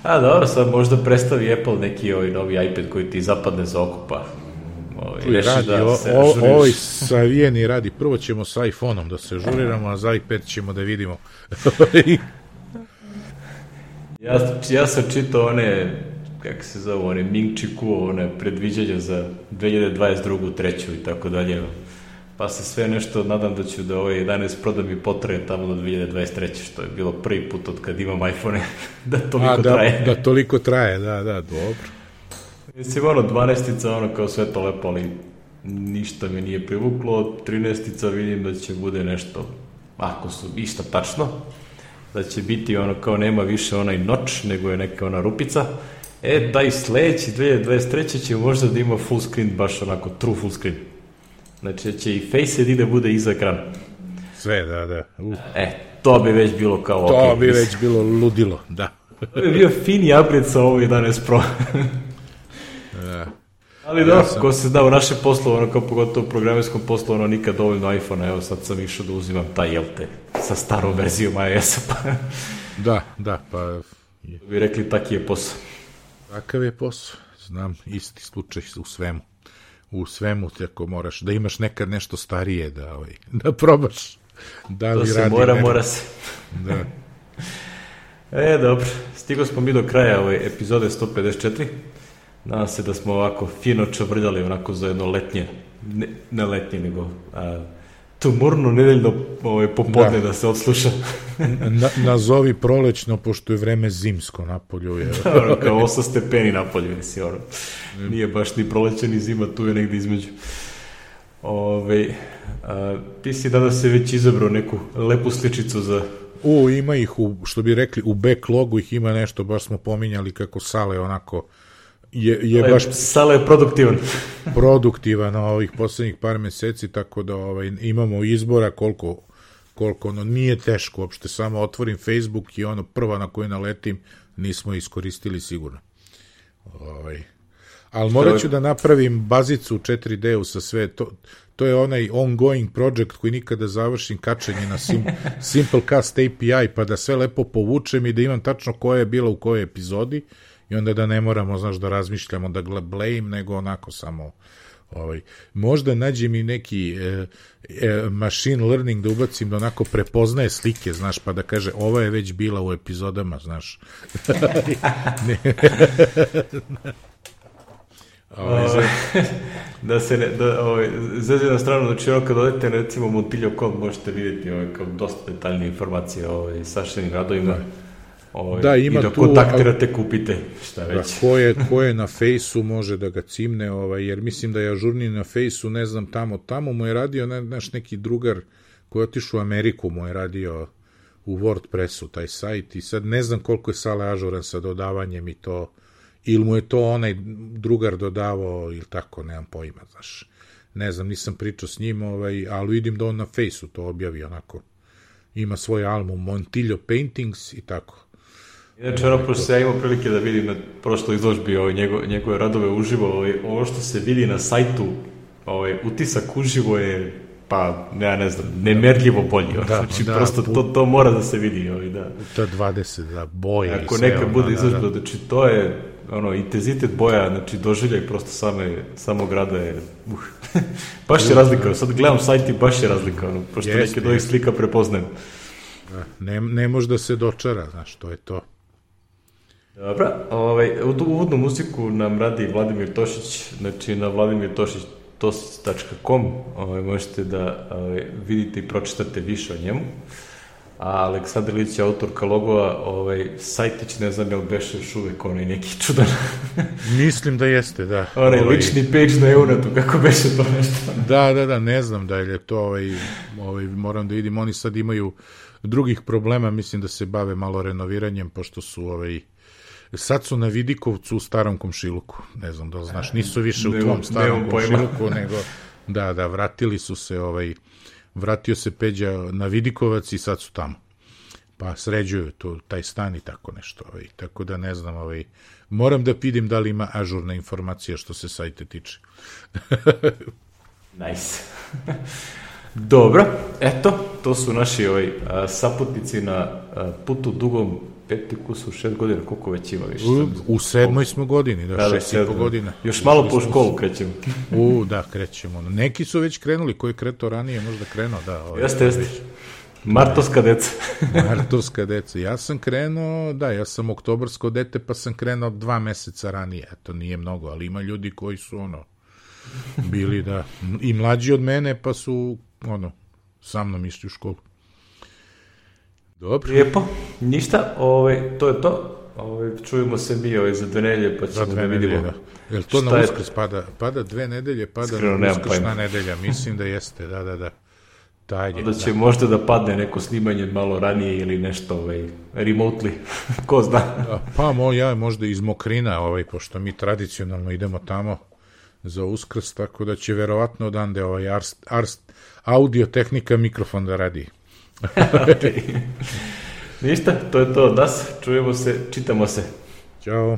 A dobro, sad možda predstavi Apple neki novi iPad koji ti zapadne za oko, pa reši da se ažuriš. Ovaj savijeni radi, prvo ćemo sa iPhone-om da se ažuriramo, a za iPad ćemo da vidimo. Ja sam čitao one, kako se zove, one Ming Chi Kuo, one predviđanja za 2022. 3. i tako dalje. Pa se sve nešto, nadam da ću da 11 Pro mi potraje tamo do 2023. što je bilo prvi put od kad imam iPhone da toliko traje. Da toliko traje, da, dobro. Mislim, 12-ica, kao sve to lepo, ali ništa mi nije privuklo. 13-ica vidim da će bude nešto, ako su išta tačno, da će biti kao nema više onaj noč, nego je neka ona rupica. Taj sledeći 2023. će možda da ima full screen, baš onako true full screen. Znači, će i Face ID da bude iza ekrana. Sve, da. To bi već bilo kao to bi već bilo ludilo, da. To bi bio fini upgrade sa ovo 11 Pro. Da. Ali da, ko se zna u naše poslu, kao pogotovo u programerskom poslu, nikad dovoljno iPhone-a, evo sad sam išao da uzimam taj LT sa starom verzijom iOS-a, pa... Da, pa... Bi rekli, taki je posao. Takav je posao, znam, isti slučaj u svemu, tako moraš, da imaš nekad nešto starije, da probaš, da li to se radi mora se. Da. Dobro, stigo smo mi do kraja ove epizode 154, nadam se da smo ovako fino čavrljali onako za jedno letnje, ne letnje, nego tumurno nedeljno popodne da se odsluša. Nazovi prolećno, pošto je vreme zimsko napolju. Kao 8 stepeni napolju, nije baš ni proleće ni zima, tu je negde između. Ti si danas se već izabrao neku lepu sličicu za... Ima ih, što bi rekli, u backlogu ih ima nešto, baš smo pominjali kako Sale onako je baš... Sale je produktivan na ovih poslednjih par meseci, tako da imamo izbora koliko nije teško, uopšte samo otvorim Facebook i prva na koju naletim nismo iskoristili sigurno. Ali morat ću da napravim bazicu u 4D-u sa sve, to je onaj ongoing project koji nikada završim, kačenje na Simplecast API, pa da sve lepo povučem i da imam tačno koja je bila u kojoj epizodi i onda da ne moramo, da razmišljamo, da blame, nego onako samo možda nađem i neki machine learning da ubacim da onako prepoznaje slike, pa da kaže ova je već bila u epizodama, Da se ne, zezio na stranu, znači ono kad odete na recimo Montillo.com možete vidjeti kao dosta detaljnije informacije o saštenim radovima. Da, ima i da kontaktirate, kupite, šta već. Da, ko je na Fejsu može da ga cimne, jer mislim da je ažurniji na Fejsu, ne znam, tamo mu je radio neki drugar koji je otišao u Ameriku, mu je radio u WordPressu taj sajt i sad ne znam koliko je Sale ažuran sa dodavanjem i to, ili mu je to onaj drugar dodavao ili tako, nemam pojma, znaš. Ne znam, nisam pričao s njim, ali vidim da on na Fejsu to objavi onako. Ima svoj album Montillo Paintings i tako. Inače, pošto se ja imao prilike da vidim na prošloj izložbi njegove radove uživo, ovo što se vidi na sajtu, utisak uživo je, pa, ne znam, nemerljivo bolji. Znači, prosto to mora da se vidi. Ta 20 boje i sve. Ako neka bude izložba, znači, to je, intenzitet boja, znači, doživljaj prosto samog rada je, baš je razlika. Sad gledam sajt i baš je razlika, pošto neke od ovih slika prepoznajem. Ne može da se dočara, znaš, to je to. Dobra, uvodnu muziku nam radi Vladimir Tošić, znači na vladimirtošić.com možete da vidite i pročitate više o njemu. A Aleksandar Ilić je autorka logova, sajtić, ne znam je li beše još uvek onaj neki čudan. Mislim da jeste, da. Onaj lični page na Eunatu, kako beše to nešto. Da, ne znam da je to, moram da vidim, oni sad imaju drugih problema, mislim da se bave malo renoviranjem, pošto su sad su na Vidikovcu u Starom Komšiluku, ne znam da li znaš, nisu više u tvom Starom Komšiluku, nego, da, vratili su se, vratio se Peđa na Vidikovac i sad su tamo, pa sređuju taj stan i tako nešto, tako da ne znam, moram da vidim da li ima ažurna informacija što se sajte tiče. Nice. Dobro, eto, to su naši saputnici na putu dugom 6 godina, koliko već ima više? U 7. smo godini, 6,5 godina. Još malo po školu krećemo. Da, krećemo. Neki su već krenuli, ko je kretao ranije, možda krenuo, da. Jeste. Martovska deca. Martovska deca. Ja sam krenuo, ja sam oktobarsko dete, pa sam krenuo 2 meseca ranije. To nije mnogo, ali ima ljudi koji su, bili, i mlađi od mene, pa su, sa mnom išli u školu. Dobro. Lijepo, ništa, to je to. Čujemo se mi za 2 nedelje, pa ćemo da vidimo. Je li to na Uskrs pada 2 nedelje, pada na Uskršna nedelja? Mislim da jeste, da. Da će možda da padne neko snimanje malo ranije ili nešto remotely, ko zna. Pa možda iz Mokrina, pošto mi tradicionalno idemo tamo za Uskrs, tako da će verovatno odande audio tehnika mikrofon da radi. Ništa, to je to od nas, čujemo se, čitamo se. Ćao.